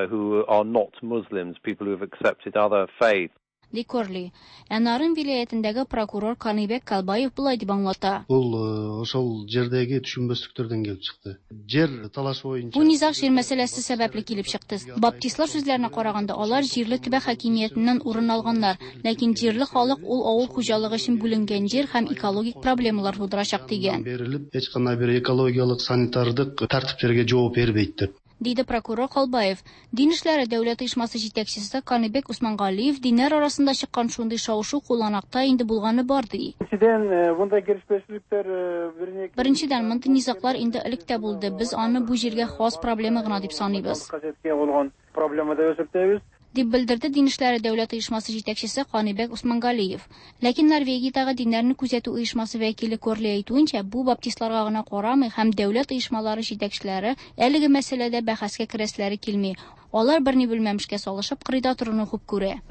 who are not Muslims, people who have accepted other faiths. Ди Корли. Ә Нарын вилаятендәге прокурор Каныбек Калбаев болай дип аңлата. Бул ошол жердеги түшүнбөстүктөрдөн келип чыкты. Жер талашы боюнча. Бу низаг җир мәсьәләсе сәбәпле килеп чыкты. Баптистлар сүзләренә караганда, алар җирле төбәк хакимиятеннән урын алганнар, ләкин җирле халык ул авыл хуҗалыгы өчен бүленгән җир һәм экологик проблемалар тудырачак дигән. Берилип, эч кандай бир экологиялык, санитардык тартиптерге жооп бербейт деп. Диде прокурор Калбаев. Дин эшләре дәүләт оешмасы җитәкчесе Каныбек Усмангалиев диннәр арасында чыккан шундый шау-шу Куланакта инде булганы бар, ди. Беренчедән, мондый низаглар инде элек тә булды. Без аны бу җиргә хас проблема гына дип саныйбыз. Дип белдерде Дин эшләре дәүләт оешмасы җитәкчесе Каныбек Усмангалиев. Ләкин Норвегиядәге диннәрне күзәтү оешмасы вәкиле Корли әйтүенчә, бу баптистларга гына карамый һәм дәүләт оешмалары җитәкчеләре әлеге мәсьәләдә бәхәскә керәселәре килми. Алар берни белмәмешкә салышып кырыйда торуны хуп күрә.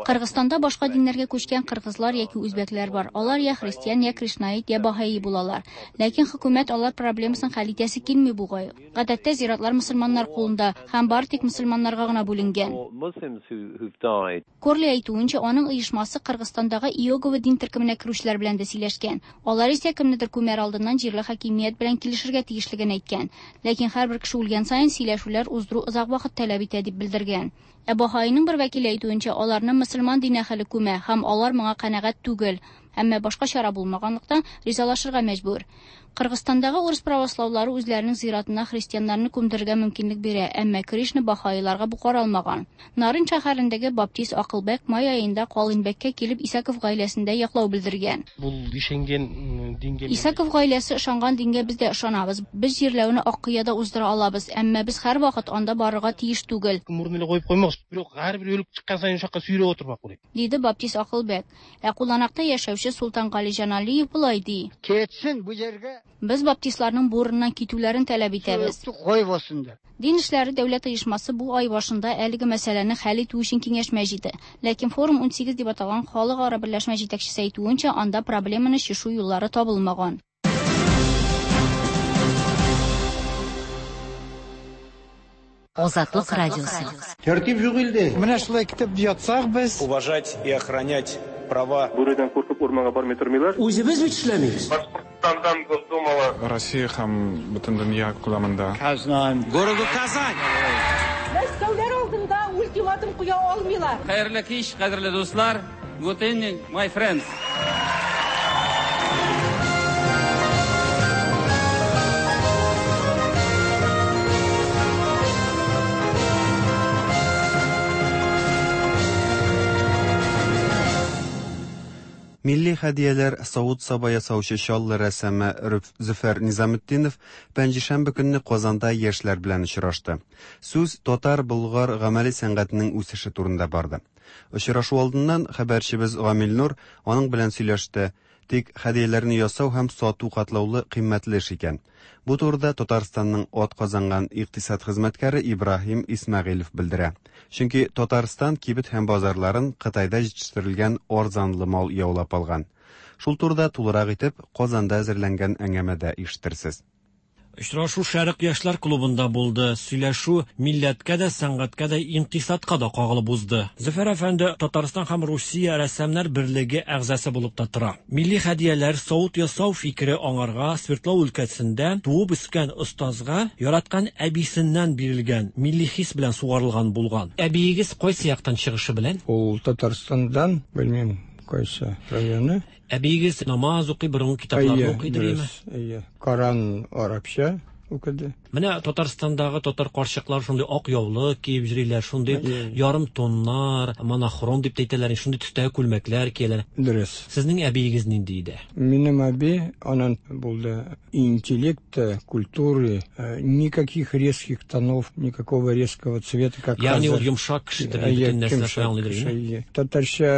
Кыргызстанда башка диннәргә күчкән кыргызлар яки үзбәкләр бар. Алар я христиан, я кришнаит, я баһаи булалар. Ләкин хөкүмәт алар проблемасын хәл итәсе килми бугай. Гадәттә зиратлар мөселманнар кулында һәм бары тик мөселманнарга гына бүленгән. Корли әйтүенчә, аның оешмасы Кыргызстандагы Иегова дин төркеменә керүчеләр белән дә сөйләшкән. Алар исә кемнедер күмәр алдыннан җирле хакимият белән килешергә тиешлеген әйткән. Ләкин һәрбер кеше үлгән саен сөйләшүләр уздыру озак вакыт таләп итә дип белдергән. Ә баһаиның бер вәкиле әйтүенчә, аларны мөселман дин әһеле күмә һәм алар моңа канәгать түгел. Әмма башка чара булмаганлыктан, ризалашырга мәҗбүр. Кыргызстандагы урыс правослаулары үзләренең зиратына христианнарны күмдерергә мөмкинлек бирә, әмма Кришна баһаиларга бу каралмаган. Нарын шәһәрендәге баптист Акылбәк май аенда Калыйнбәккә килеп Исаков гаиләсендә яклау белдергән. Бул ишенгән дингә. Исаков гаиләсе ышанган дингә без дә ышанабыз. Без җирләүне Аккыяда уздыра алабыз, әмма без һәрвакыт анда барырга тиеш түгел. Мурын эле коюп коймокчу, бирок ар бир өлүк чыккан сайын ушул жака сүйрөп отурмак белек. Диде баптист Акылбәк. Ә Куланакта яшәүче Султангали Җаналиев болай ди. Кетсен бу җиргә. Без баптистларның бу урыннан китүләрен таләп итәбез. Койбасын дип. Дин эшләре дәүләт оешмасы бу ай башында әлеге мәсьәләне хәл итү өчен киңәшмә җыйды. Ләкин Форум 18 дип аталган халыкара берләшмә җитәкчесе әйтүенчә, анда проблеманы чишү юллары табылмаган. Азатлык радиосы. Тәртип юк илдә. Менә шулай китеп ятсак без. Уважать и охранять права. Бүредән куркып урманга бармый тормыйлар. Үзебез бит эшләмибез. Башкортстандан Госдумала. Россия һәм бөтен дөнья күләмендә. Казань. Городу Казань. Мәскәүләр алдында ультиматум куя алмыйлар. Хәерле кич, кадерле дуслар. Good evening, my friends. Милли хәдияләр савыт-саба ясаучы Чаллы рәссамы Зөфәр Низаметдинов пәнҗешәмбе көнне Казанда яшьләр белән очрашты. Сүз татар-болгар гамәли сәнгатенең үсеше турында барды. Очрашу алдыннан хәбәрчебез Гамил Нур аның белән сөйләште. Тик хәдияләрне ясау һәм сату катлаулы кыйммәтле эш икән. Бу турыда Татарстанның ат казанган икътисад хезмәткәре Ибраһим Исмәгыйлев белдерә. Чөнки Татарстан кибет һәм базарларын Кытайда җитештерелгән арзанлы мал яулап алган. Шул турыда тулырак итеп Казанда әзерләнгән әңгәмәдә ишетерсез. Очрашу Шәрык яшьләр клубында булды. Сөйләшү милләткә дә, сәнгатькә дә, икътисадка да кагылып узды. Зөфәр әфәнде Татарстан һәм Русия рәссамнар берлеге әгъзасы булып та тора. Милли хәдияләр, савыт ясау фикере аңарга Свердлау өлкәсендә туып үскән остазга яраткан әбисеннән бирелгән милли хис белән сугарылган булган. Әбиегез кайсы яктан чыгышы белән? Ул Татарстандан, белмим, кайсы районы. Әбиегез намаз укый, борынгы китапларны укый димме? Әйе. Коран арабча укыды. Менә Татарстандагы татар карчыклар шундый ак яулык киеп йөриләр, шундый ярым тоннар, монохром дип әйтәләр, шундый төстәге күлмәкләр кияләр. Дөрес. Сезнең әбиегез нинди иде? Минем әби, анан булды интеллекта, культуры, никаких резких тонов, никакого резкого цвета, как Ягъни ул йомшак кешедер, бөтен нәрсәне аңлыйдыр. Татарча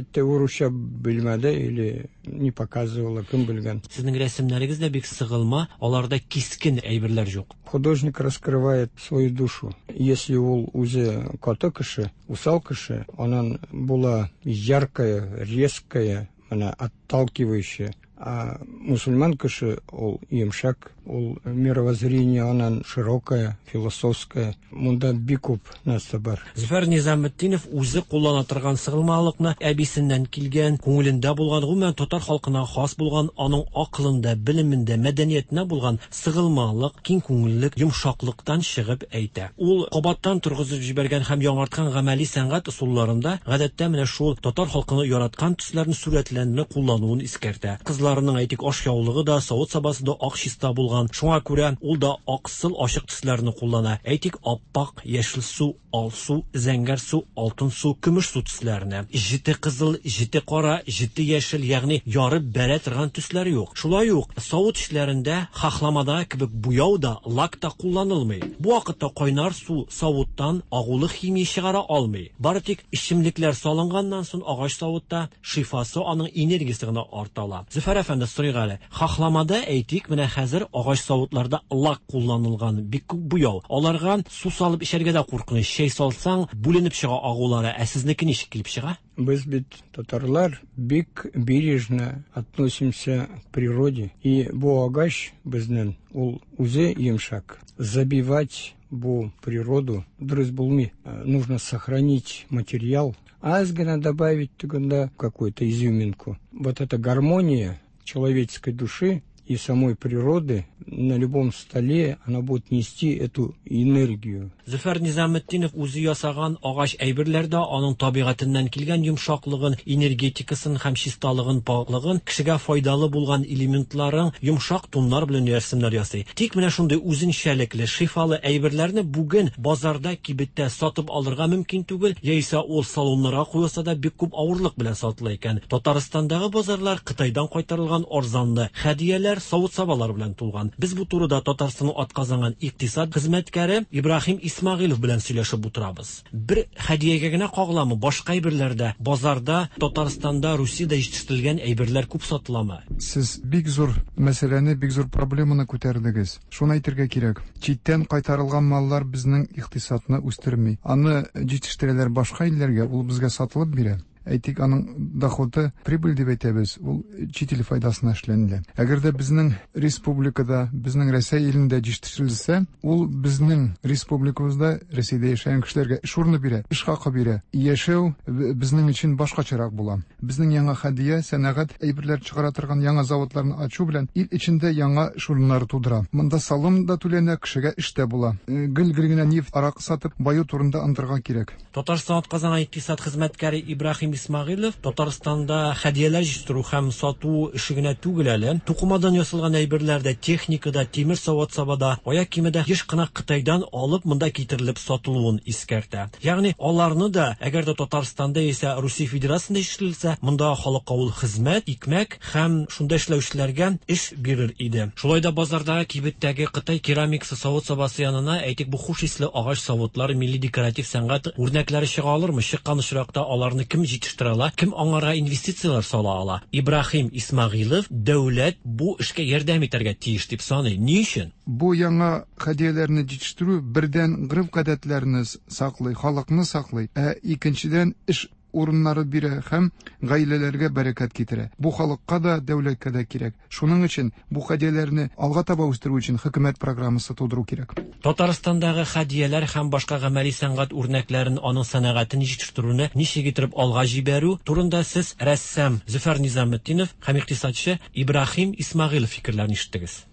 әйтте, урысча белмәде или не показывала, кем белгән. Сезнең рәсемнәрегез дә бик сыгылма, аларда кискен әйберләр юк. Художник раскрывает свою душу. Если ул үзе каты кеше, усал кеше, анан була яркая, резкая, она отталкивающая. А мусульман кеше ул йомшак, ул мировоззрение анан широкое, философское. Монда бик күп нәрсә бар. Зөфәр Низаметдинов үзе куллана торган сыгылмалыкны әбисеннән килгән, күңелендә булган, гомумән татар халкына хас булган, аның акылында, белемендә, мәдәниятендә булган сыгылмалык, киң күңеллек, йомшаклыктан чыгып әйтә. Ул кабаттан торгызып җибәргән һәм яңарткан гамәли сәнгать ысулларында гадәттә менә шул татар халкына яраткан төсләрне, сурәтләрне куллануын искәртә. Кызларының әйтик ашъяулыгы да, савыт-сабасы да ак чиста булган. Шуңа күрә ул да аксыл ачык төсләрне куллана. Әйтик, аппак, яшел су, алсу, зәңгәр су, алтын су, көмеш су төсләренә. Җете кызыл, җете кара, җете яшел, ягъни ярып бәрә торган төсләр юк. Шулай ук савыт эшләрендә хахламада кебек буяу да, лак та кулланылмый. Бу вакытта кайнар су савыттан агулы химия чыгара алмый. Бары тик эчемлекләр салынганнан соң агач савытта шифасы, аның энергиясе гына арта ала. Зөфәр әфәнде, сорыйк әле. Хахламада әйтик, менә хәзер агач савытларда лак кулланылган, бик күп буяу. Аларга су салып эчәргә дә куркыныч. Чәй салсаң, бүленеп чыга агулары. Ә сезнеке ничек килеп чыга? Без бит татарлар бик бережно относимся к природе. И бу агач безнең ул үзе йомшак. Забивать бу природу дөрес булмый. Нужно сохранить материал. Аз гына добавить тегендә какую-то изюминку. Вот эта гармония человеческой души и самой природы На любом столе она будет нести эту энергию. Зөфәр Низаметдинов үзе ясаган агач әйберләр дә аның табигатеннән килгән йомшаклыгын, энергетикасын һәм чисталыгын, пакьлыгын, кешегә файдалы булган элементларын йомшак тоннар белән рәсемнәр ясый. Тик менә шундый үзенчәлекле, шифалы әйберләрне бүген базарда, кибеттә сатып алырга мөмкин түгел, яисә ул салоннарга куелса да бик күп авырлык белән сатыла икән. Татарстандагы базарлар Кытайдан кайтарылган арзанлы хәдияләр, савыт-сабалар белән тулган. Без бу турыда Татарстанның атказанган икътисад хезмәткәре Ибраһим Исмәгыйлов белән сөйләшеп утырабыз. Бер хәдиягә генә кагыламы, башка әйберләр дә базарда Татарстанда, Русиядә җитештерелгән әйберләр күп сатыламы? Сез бик зур мәсьәләне, бик зур проблеманы күтәрдегез. Шуны әйтергә кирәк, читтән кайтарылган маллар безнең икътисадны үстерми. Аны җитештерәләр башка илләргә, ул безгә сатылып бирә. Әйтик, аның доходы, прибыль дип әйтәбез, ул чит ил файдасына эшләнелә. Әгәр дә безнең республикада, безнең Рәсәй илендә җитештерелсә, ул безнең республикабызда, Рәсәйдә яшәгән кешеләргә эш урыны бирә, эш хакы бирә. Яшәү безнең өчен башкачарак була. Безнең яңа хәдия, сәнәгать әйберләр чыгара торган яңа заводларны ачу белән ил эчендә яңа эш урыннары тудыра. Монда салым да түләнә, кешегә эш тә була. Гел-гел генә нефть, аракы сатып баю турында онытырга кирәк. Татарстан атказанган икътисад хезмәткәре Ибраһим Исмәгыйлев Татарстанда хәдияләр җитештерү һәм сату эше генә түгел әле, тукымадан ясалган әйберләр дә, техника да, тимер савыт-саба да, аяк киеме дә еш кына Кытайдан алып монда китерелеп сатылуын искәртә. Ягъни аларны да, әгәр дә Татарстанда яисә Русия Федерациясендә җитештерелсә, мондагы халыкка ул хезмәт, икмәк һәм шунда эшләүчеләргә эш бирер иде. Шулай да базардагы, кибеттәге Кытай керамикасы савыт-сабасы янына, әйтик, бу хуш исле агач савытлар, милли декоратив сәнгать үрнәкләре чыга алырмы? Чыккан очракта аларны кем җитештерә ала, кем аңарга инвестицияләр сала ала? Ибраһим Исмәгыйлов дәүләт бу эшкә ярдәм итәргә тиеш дип саный. Ни өчен? Бу яңа хәдияләрне җитештерү, бердән, гореф-гадәтләрне саклый, халыкны саклый, ә икенчедән, эш урыннары бирә һәм гаиләләргә бәрәкәт китерә. Бу халыкка да, дәүләткә дә кирәк. Шуның өчен бу хәдияләрне алга таба үстерү өчен хөкүмәт программасы тудыру кирәк. Татарстандагы хәдияләр һәм башка гамәли сәнгать үрнәкләрен, аның сәнәгатен җитештерүне ничек иттереп алга җибәрү турында сез рәссам Зөфәр Низаметдинов һәм икътисадчы Ибраһим Исмәгыйлов фикерләрен ишеттегез.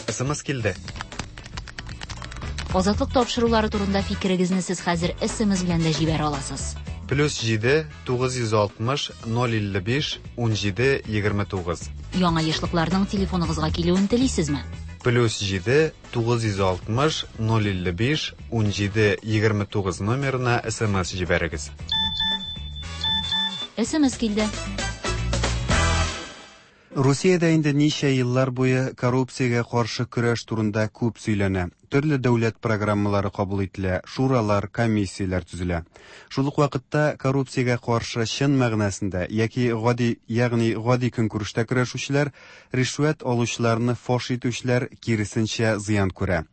СМС килде. Азатлык тапшырулары турында фикерегезне сез хәзер СМС белән дә җибәрә аласыз. Плюс 7 960 055 17 29. Яңа ешлыкларның телефоныгызга килүен телисезме? Плюс 7 960 055 17 29 номерына СМС җибәрегез. СМС килде. Русиядә инде ничә еллар буе коррупциягә каршы көрәш турында күп сөйләнә. Төрле дәүләт программалары кабул ителә, шуралар, комиссияләр төзелә. Шул ук вакытта коррупциягә каршы чын мәгънәсендә яки гади, ягъни гади көнкүрештә көрәшүчеләр, ришвәт алучыларны фаш итүчеләр киресенчә зыян күрә.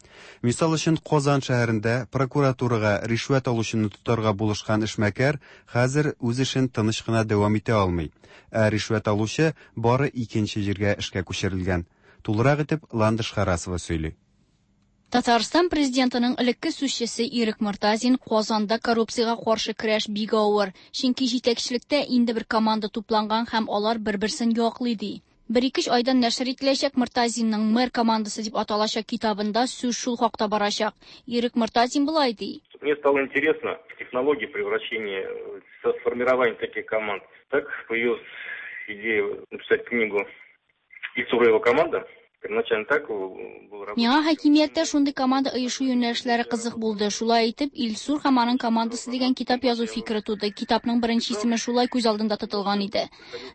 Мисал өчен, Казан шәһәрендә прокуратурага ришвәт алучыны тотарга булышкан эшмәкәр хәзер үз эшен тыныч кына дәвам итә алмый. Ә ришвәт алучы бары икенче җиргә эшкә күчерелгән. Тулырак итеп Ландыш Харасова сөйли. Татарстан президентының элекке сүзчесе Ирек Мортазин Казанда коррупциягә каршы көрәш бик авыр, чөнки җитәкчелектә инде бер команда тупланган һәм алар бер-берсен яклый ди. Бер-ике айдан нәшер ителәчәк Мортазинның Мэр командасы дип аталачак китабында сүз шул хакта барачак. Ирек Мортазин болай ди. Мне стало интересно технология превращения, формирования таких команд. Так появилась идея написать книгу «Ильсур и его команда». Первоначально так был работа. Миңа хакимияттә шундый команда оешу юнәлешләре кызык булды. Шулай итеп, Илсур һәм аның командасы дигән китап язу фикере туды. Китапның беренче исеме шулай күз алдында тотылган иде.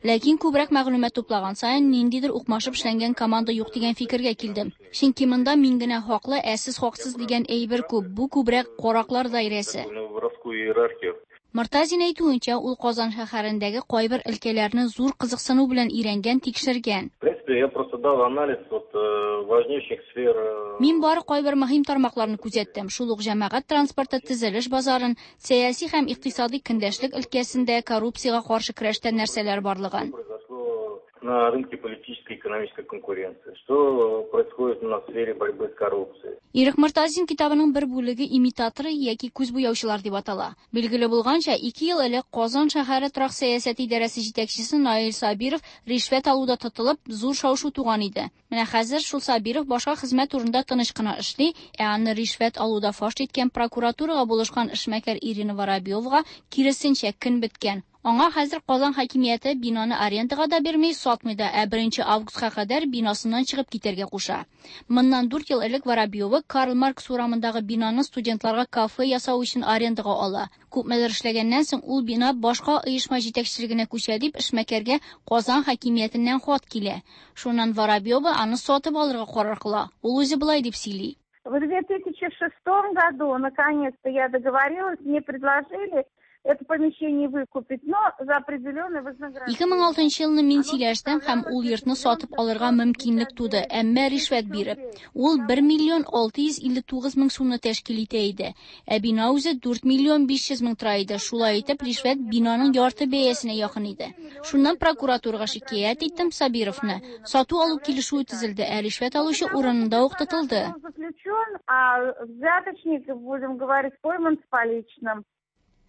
Ләкин күбрәк мәгълүмат туплаган саен, ниндидер укмашып эшләнгән команда юк дигән фикергә килдем. Чөнки монда мин генә хаклы, ә сез хаксыз дигән әйбер күп. Бу күбрәк караклар даирәсе. Воровскую иерархию. Мортазин әйтүенчә, ул Казан шәһәрендәге кайбер өлкәләрне зур кызыксыну белән өйрәнгән, тикшергән. В принципе, я просто дал анализ вот важнейших сфер. Мин бары кайбер мөһим тармакларны күзәттем. Шул ук җәмәгать транспорты, төзелеш базарын, сәяси һәм икътисади көндәшлек өлкәсендә коррупциягә каршы көрәштә нәрсәләр барлыгын. на рынке политической и экономической конкуренции, что происходит у нас в сфере борьбы с коррупцией. Ирек Мортазин китабының бер бүлеге Имитаторы яки күз буяучылар дип атала. Билгеле булганча, ике ел элек Казан шәһәре торак сәясәте идарәсе җитәкчесе Наил Сабиров ришвәт алуда тотылып, зур шау-шу туган иде. Менә хәзер шул Сабиров башка хезмәт урынында тыныч кына эшли, ә аны ришвәт алуда фаш иткән прокуратурага булышкан эшмәкәр Ирина Воробьевага, киресенчә, көн беткән. Аңа хәзер Казан хакимияте бинаны арендага да бирми, сатмый да, ә 1 августка кадәр бинасыннан чыгып китәргә куша. Моннан 4 ел элек Воробьева Карл Маркс урамындагы бинаны студентларга кафе ясау өчен арендага ала. Күпмедер эшләгәннән соң ул бина башка оешма җитәкчелегенә күчә дип эшмәкәргә Казан хакимиятеннән хат килә. Шуннан Воробьева аны сатып алырга карар кыла. Ул үзе болай дип сөйли. В 2006 году, наконец-то, я договорилась, мне предложили это помещение выкупить, но за определенное вознаграждение. 2006 елны мин сөйләштем һәм ул йортны сатып алырга мөмкинлек туды, әмма ришвәт биреп. Ул 1 миллион 659 мең сумны тәшкил итә иде. Ә бина үзе 4 миллион 500 мең тора иде. Шулай итеп, ришвәт бинаның ярты бәясенә якын иде. Шуннан прокуратурага шикаять иттем Сабировны. Сату-алу килешүе төзелде, ә ришвәт алучы урынында ук тотылды. Заключен, а взяточник, будем говорить, пойман с поличным.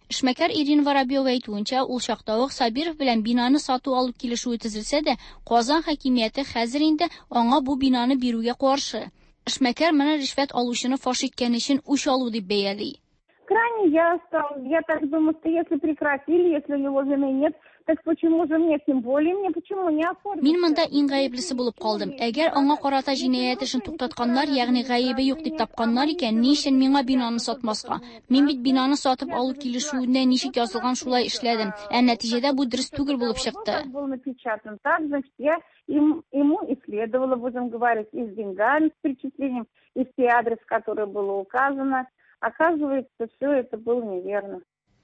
Эшмәкәр Ирина Воробьева әйтүенчә, ул чакта ук Сабиров белән бинаны сату-алу килешүе төзелсә дә, Казан хакимияте хәзер инде аңа бу бинаны бирүгә каршы. Эшмәкәр моны ришвәт алучыны фаш иткән өчен үч алу дип бәяли. Крайне я стал, я так думаю, что если прекратили, если у него вины нет, так почему же мне, тем более мне, почему не оформить? Мин монда иң гаеплесе булып калдым. Әгәр аңа карата җинаять эшен туктатканнар, ягъни гаебе юк дип тапканнар икән, ни өчен миңа бинаны сатмаска? Мин бит бинаны сатып алу килешүендә ничек язылган шулай эшләдем. Ә нәтиҗәдә бу дөрес түгел булып чыкты. Был напечатан так, значит, я им, ему и следовало, будем говорить, и с деньгами, с перечислением, и все адрес, который было указано. Оказывается, все это было неверно.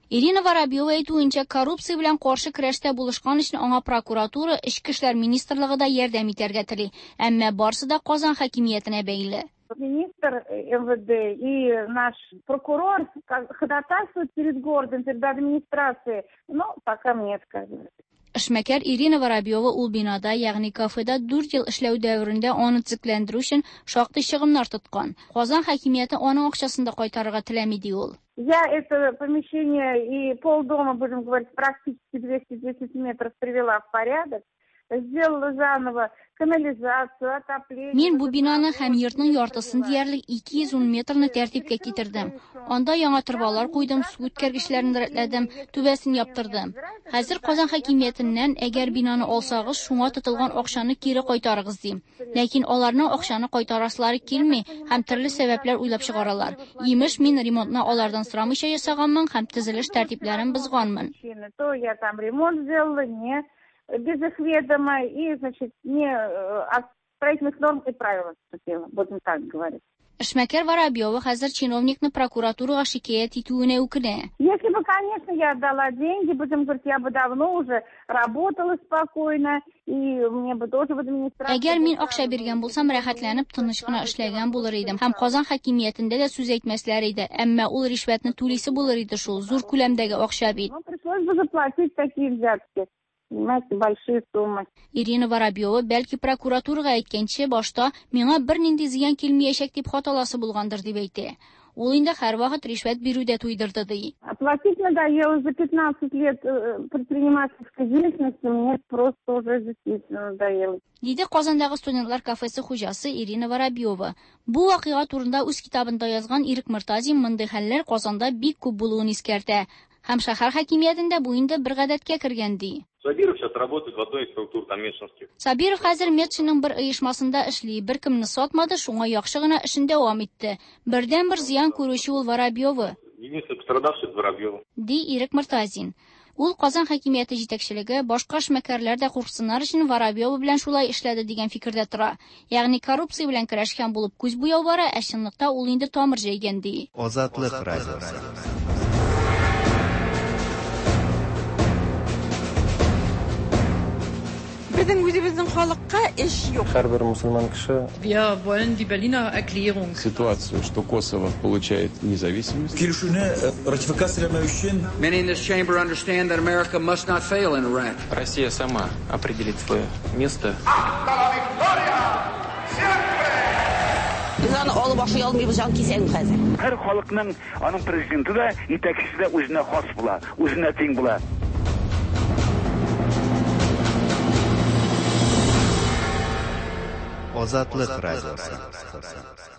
Ирина Воробьева әйтүенчә, коррупция белән каршы көрәштә булышкан өчен аңа прокуратура, Эчке эшләр министрлыгы да ярдәм итәргә тели. Әмма барсы да Казан хакимиятенә бәйле. Министр МВД и наш прокурор ходатайствуют перед городом, перед администрацией, но пока мне отказывают. Эшмәкәр Ирина Воробьева ул бинада, ягъни кафеда 4 ел эшләү дәверендә аны төзекләндерү өчен шактый чыгымнар тоткан. Казан хакимияте аның акчасын да кайтарырга теләми, ди ул. Я это помещение и полдома, будем говорить, практически 210 метров привела в порядок. Сделала заново канализацию, отопление. Мин бу бинаны һәм йортның яртысын диярлек 210 метрны тәртипкә китердем. Анда яңа торбалар куйдым, су үткәргечләрен рәтләдем, түбәсен яптырдым. Хәзер Казан хакимиятеннән, әгәр бинаны алсагыз, шуңа тотылган акчаны кире кайтарыгыз дим. Ләкин аларның акчаны кайтарасылары килми һәм төрле сәбәпләр уйлап чыгаралар. Имеш, мин ремонтны алардан сорамыйча ясаганмын һәм төзелеш тәртипләрен бозганмын. То я там ремонт сделала, не без их ведома и, значит, не от строительных норм и правил отступила, будем так говорить. Эшмәкәр Воробьева хәзер чиновникны прокуратурага шикаять итүенә үкенә. Если бы, конечно, я отдала деньги, будем говорить, я бы давно уже работала спокойно, и мне бы тоже в администрации... Әгәр мин акча биргән булсам, рәхәтләнеп, тыныч кына эшләгән булыр идем. Һәм Казан хакимиятендә дә сүз әйтмәсләр иде. Әмма ул ришвәтне түлисе булыр иде шул, зур күләмдәге акча бит. Ну, пришлось бы заплатить такие взятки. Понимаете, большие суммы. Ирина Воробьева бәлки прокуратурага әйткәнче башта миңа бернинди зыян килмәячәк дип хат аласы булгандыр дип әйтә. Ул инде һәрвакыт ришвәт бирүдә туйдырды ди. Платить надоело за 15 лет предпринимательской деятельности, мне просто уже действительно надоело. Диде Казандагы студентлар кафесы хуҗасы Ирина Воробьева. Бу вакыйга турында үз китабында язган Ирек Мортазин мондый хәлләр Казанда бик күп булуын искәртә. Һәм шәһәр хакимиятендә бу инде бер гадәткә кергән ди. Сабиров сейчас работает в одной из структур там Метшинских. Сабиров хәзер Метшинның бер оешмасында эшли, беркемне сатмады, шуңа яхшы гына эшен дәвам итте. Бердән-бер зыян күрүче ул Воробьева. Единственный пострадавший это Воробьева. Ди Ирек Мортазин. Ул Казан хакимияте җитәкчелеге, башка эшмәкәрләр дә курксыннар өчен Воробьева белән шулай эшләде дигән фикердә тора. Ягъни коррупция белән көрәшкән булып күз буяу бара, ә чынлыкта ул инде тамыр җәйгән ди. Азатлык радиосы. Безнең үзебезнең халыкка эш юк. Һәрбер мусульман кеше. Wir wollen die Berliner Erklärung. Ситуацию, что Косово получает независимость. Килешүне ратификацияләмәү өчен. Many in this chamber understand that America must not fail in Iraq. Россия сама определит свое место. Без аны алып ашый алмыйбыз, җан кисәм хәзер. Һәр халыкның аның президенты да, итәкчесе дә үзенә хас була, үзенә тиң була. Азатлык радиосы.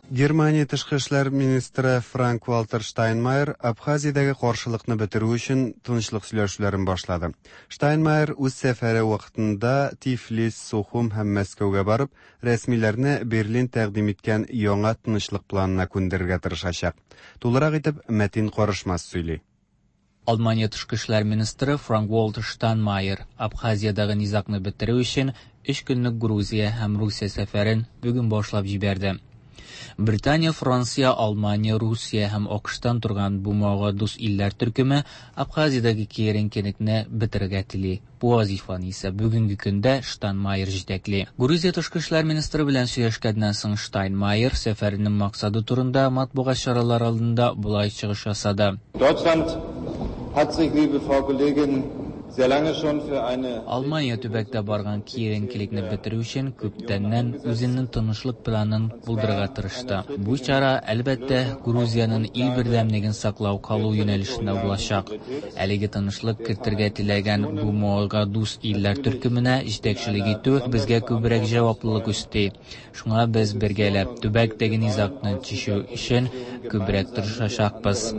Германия тышкы эшләр министры Франк-Вальтер Штайнмайер Абхазиядәге каршылыкны бетерү өчен тынычлык сөйләшүләрен башлады. Штайнмайер үз сәфәре вакытында Тифлис, Сухум һәм Мәскәүгә барып, рәсмиләрне Берлин тәкъдим иткән яңа тынычлык планына күндерергә тырышачак. Тулырак итеп Мәтин Карышмас сөйли. Алмания тышкы эшләр министры Франк-Вальтер Штайнмайер Абхазиядәге низагны бетерү өчен өч көнлек Грузия һәм Русия сәфәрен бүген башлап җибәрде. Британия, Франция, Алмания, Русия һәм АКШтан торган БМОга дус илләр төркеме Абхазиядәге киеренкелекне бетерергә тели. Бу вазифаны исә бүгенге көндә Штайнмайер җитәкли. Грузия тышкы эшләр министры белән сөйләшкәннән соң Штайнмайер сәфәренең максаты турында матбугат чаралары алдында болай чыгыш ясады. Deutschland hat sich, liebe Frau Kollegin, sehr lange schon für eine Алмания төбәктә барган киеренкелекне бетерү өчен күптәннән үзенең тынычлык планын булдырырга тырышты. Бу чара, әлбәттә, Грузиянең ил бердәмлеген саклау калу юнәлешендә булачак. Әлеге тынычлык кертергә теләгән БМОга дус илләр төркеменә җитәкчелек итү безгә күбрәк җаваплылык өсти. Шуңа без бергәләп төбәктәге низагны чишү өчен күбрәк тырышачакбыз.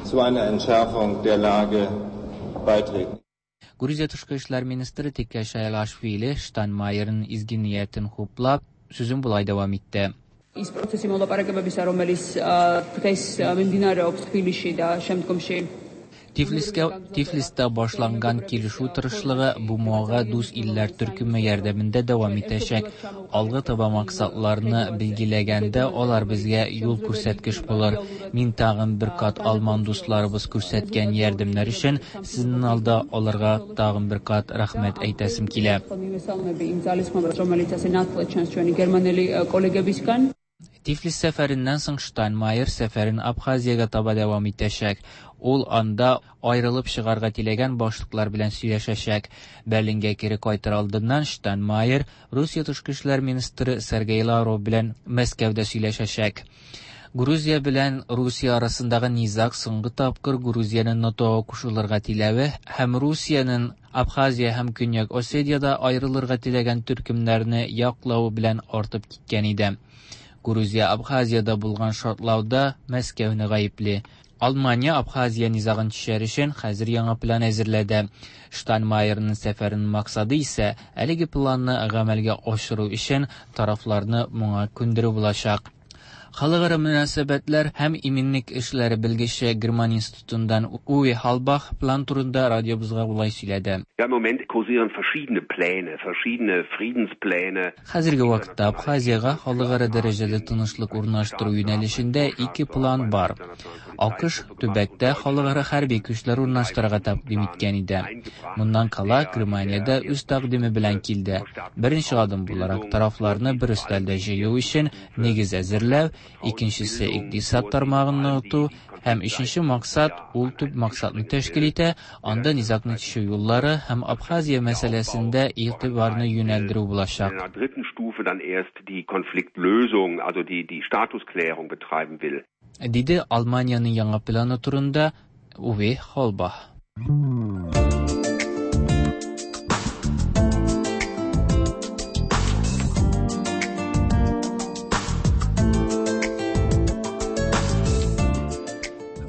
zu einer Entschärfung der Lage beitreten. Грузия тышкы эшләр министры Тика Шайлашвили Штайнмайерның изге ниятен хуплап, сүзен болай дәвам итте. ის პროცესი მოლაპარაკებებისა, რომელიც დღეს მიმდინარეობს თბილისში და შემდგომში Тифлискә Тифлиста башланган килешү тырышлыгы БМОга дус илләр төркеме ярдәмендә дәвам итәчәк. Алга таба максатларны билгеләгәндә алар безгә юл күрсәткеч булыр. Мин тагын бер кат алман дусларыбыз күрсәткән ярдәмнәр өчен сезнең алда аларга тагын бер кат рәхмәт әйтәсем килә. მივესალმები იმ ძალისხმევას, რომელიც ასე ნათლად ჩანს ჩვენი გერმანელი კოლეგებისგან. Тифлис сәфәреннән соң Штайнмайер сәфәрен Абхазиягә таба дәвам итәчәк. Ул анда аерылып чыгарга теләгән башлыклар белән сөйләшәчәк. Берлинга кире кайтыр алдыннан Штайнмайер Русия тышкы эшләр министры Сергей Лавров белән Мәскәүдә сөйләшәчәк. Грузия белән Русия арасындагы низаг соңгы тапкыр Грузиянең НАТОга кушылырга теләве һәм Русиянең Абхазия һәм Көньяк Осетиядә аерылырга теләгән төркемнәрне яклавы белән артып киткән иде. Грузия Абхазиядә булган шартлауда Мәскәүне гаепли. Алмания Абхазия низагын чишәр өчен хәзер яңа план әзерләде. Штайнмайерның сәфәренең максаты исә әлеге планны гамәлгә ашыру өчен тарафларны моңа күндерү булачак. Халыкара мөнәсәбәтләр һәм иминлек эшләре белгече Герман институтыннан Уwe Халбах план турында радиобызга болай сөйләде. Ja, im Moment kursieren verschiedene Pläne, verschiedene Friedenspläne. Хәзерге вакытта Абхазиягә халыкара дәрәҗәдә тынычлык урнаштыру юнәлешендә ике план бар. АКШ төбәктә халыкара хәрби көчләр урнаштырырга тәкъдим иткән иде. Моннан кала Германия дә үз тәкъдиме белән килде. Беренче адым буларак тарафларны бер өстәлдә җыю өчен нигез әзерләү, икенчесе икътисад тармагын ныгыту һәм өченче максат ул төп максатны тәшкил итә, анда низагны чишү юллары һәм Абхазия мәсьәләсендә игътибарны юнәлдерү булачак. In einer dritten Stufe dann erst die Konfliktlösung, also die, die Statusklärung betreiben will. Диде Алманиянең яңа планы турында Уве Холбах.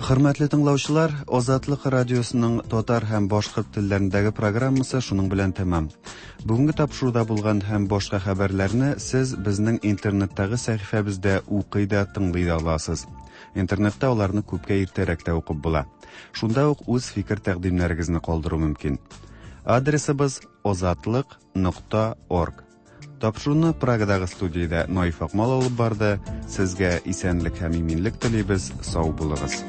Хөрмәтле тыңлаучылар, Азатлык радиосының татар һәм башкорт телләрендәге программасы шуның белән тәмам. Бүгенге тапшыруда булган һәм башка хәбәрләрне сез безнең интернеттагы сәхифәбездә укый да, тыңлый да аласыз. Интернетта аларны күпкә иртәрәк тә укып була. Шунда ук үз фикер тәкъдимнәрегезне калдыру мөмкин. Адресыбыз озатлык.орг. Тапшыруны Прагадагы студиядә Наиф Акмал алып барды. Сезгә исәнлек һәм иминлек телибез. Сау булыгыз.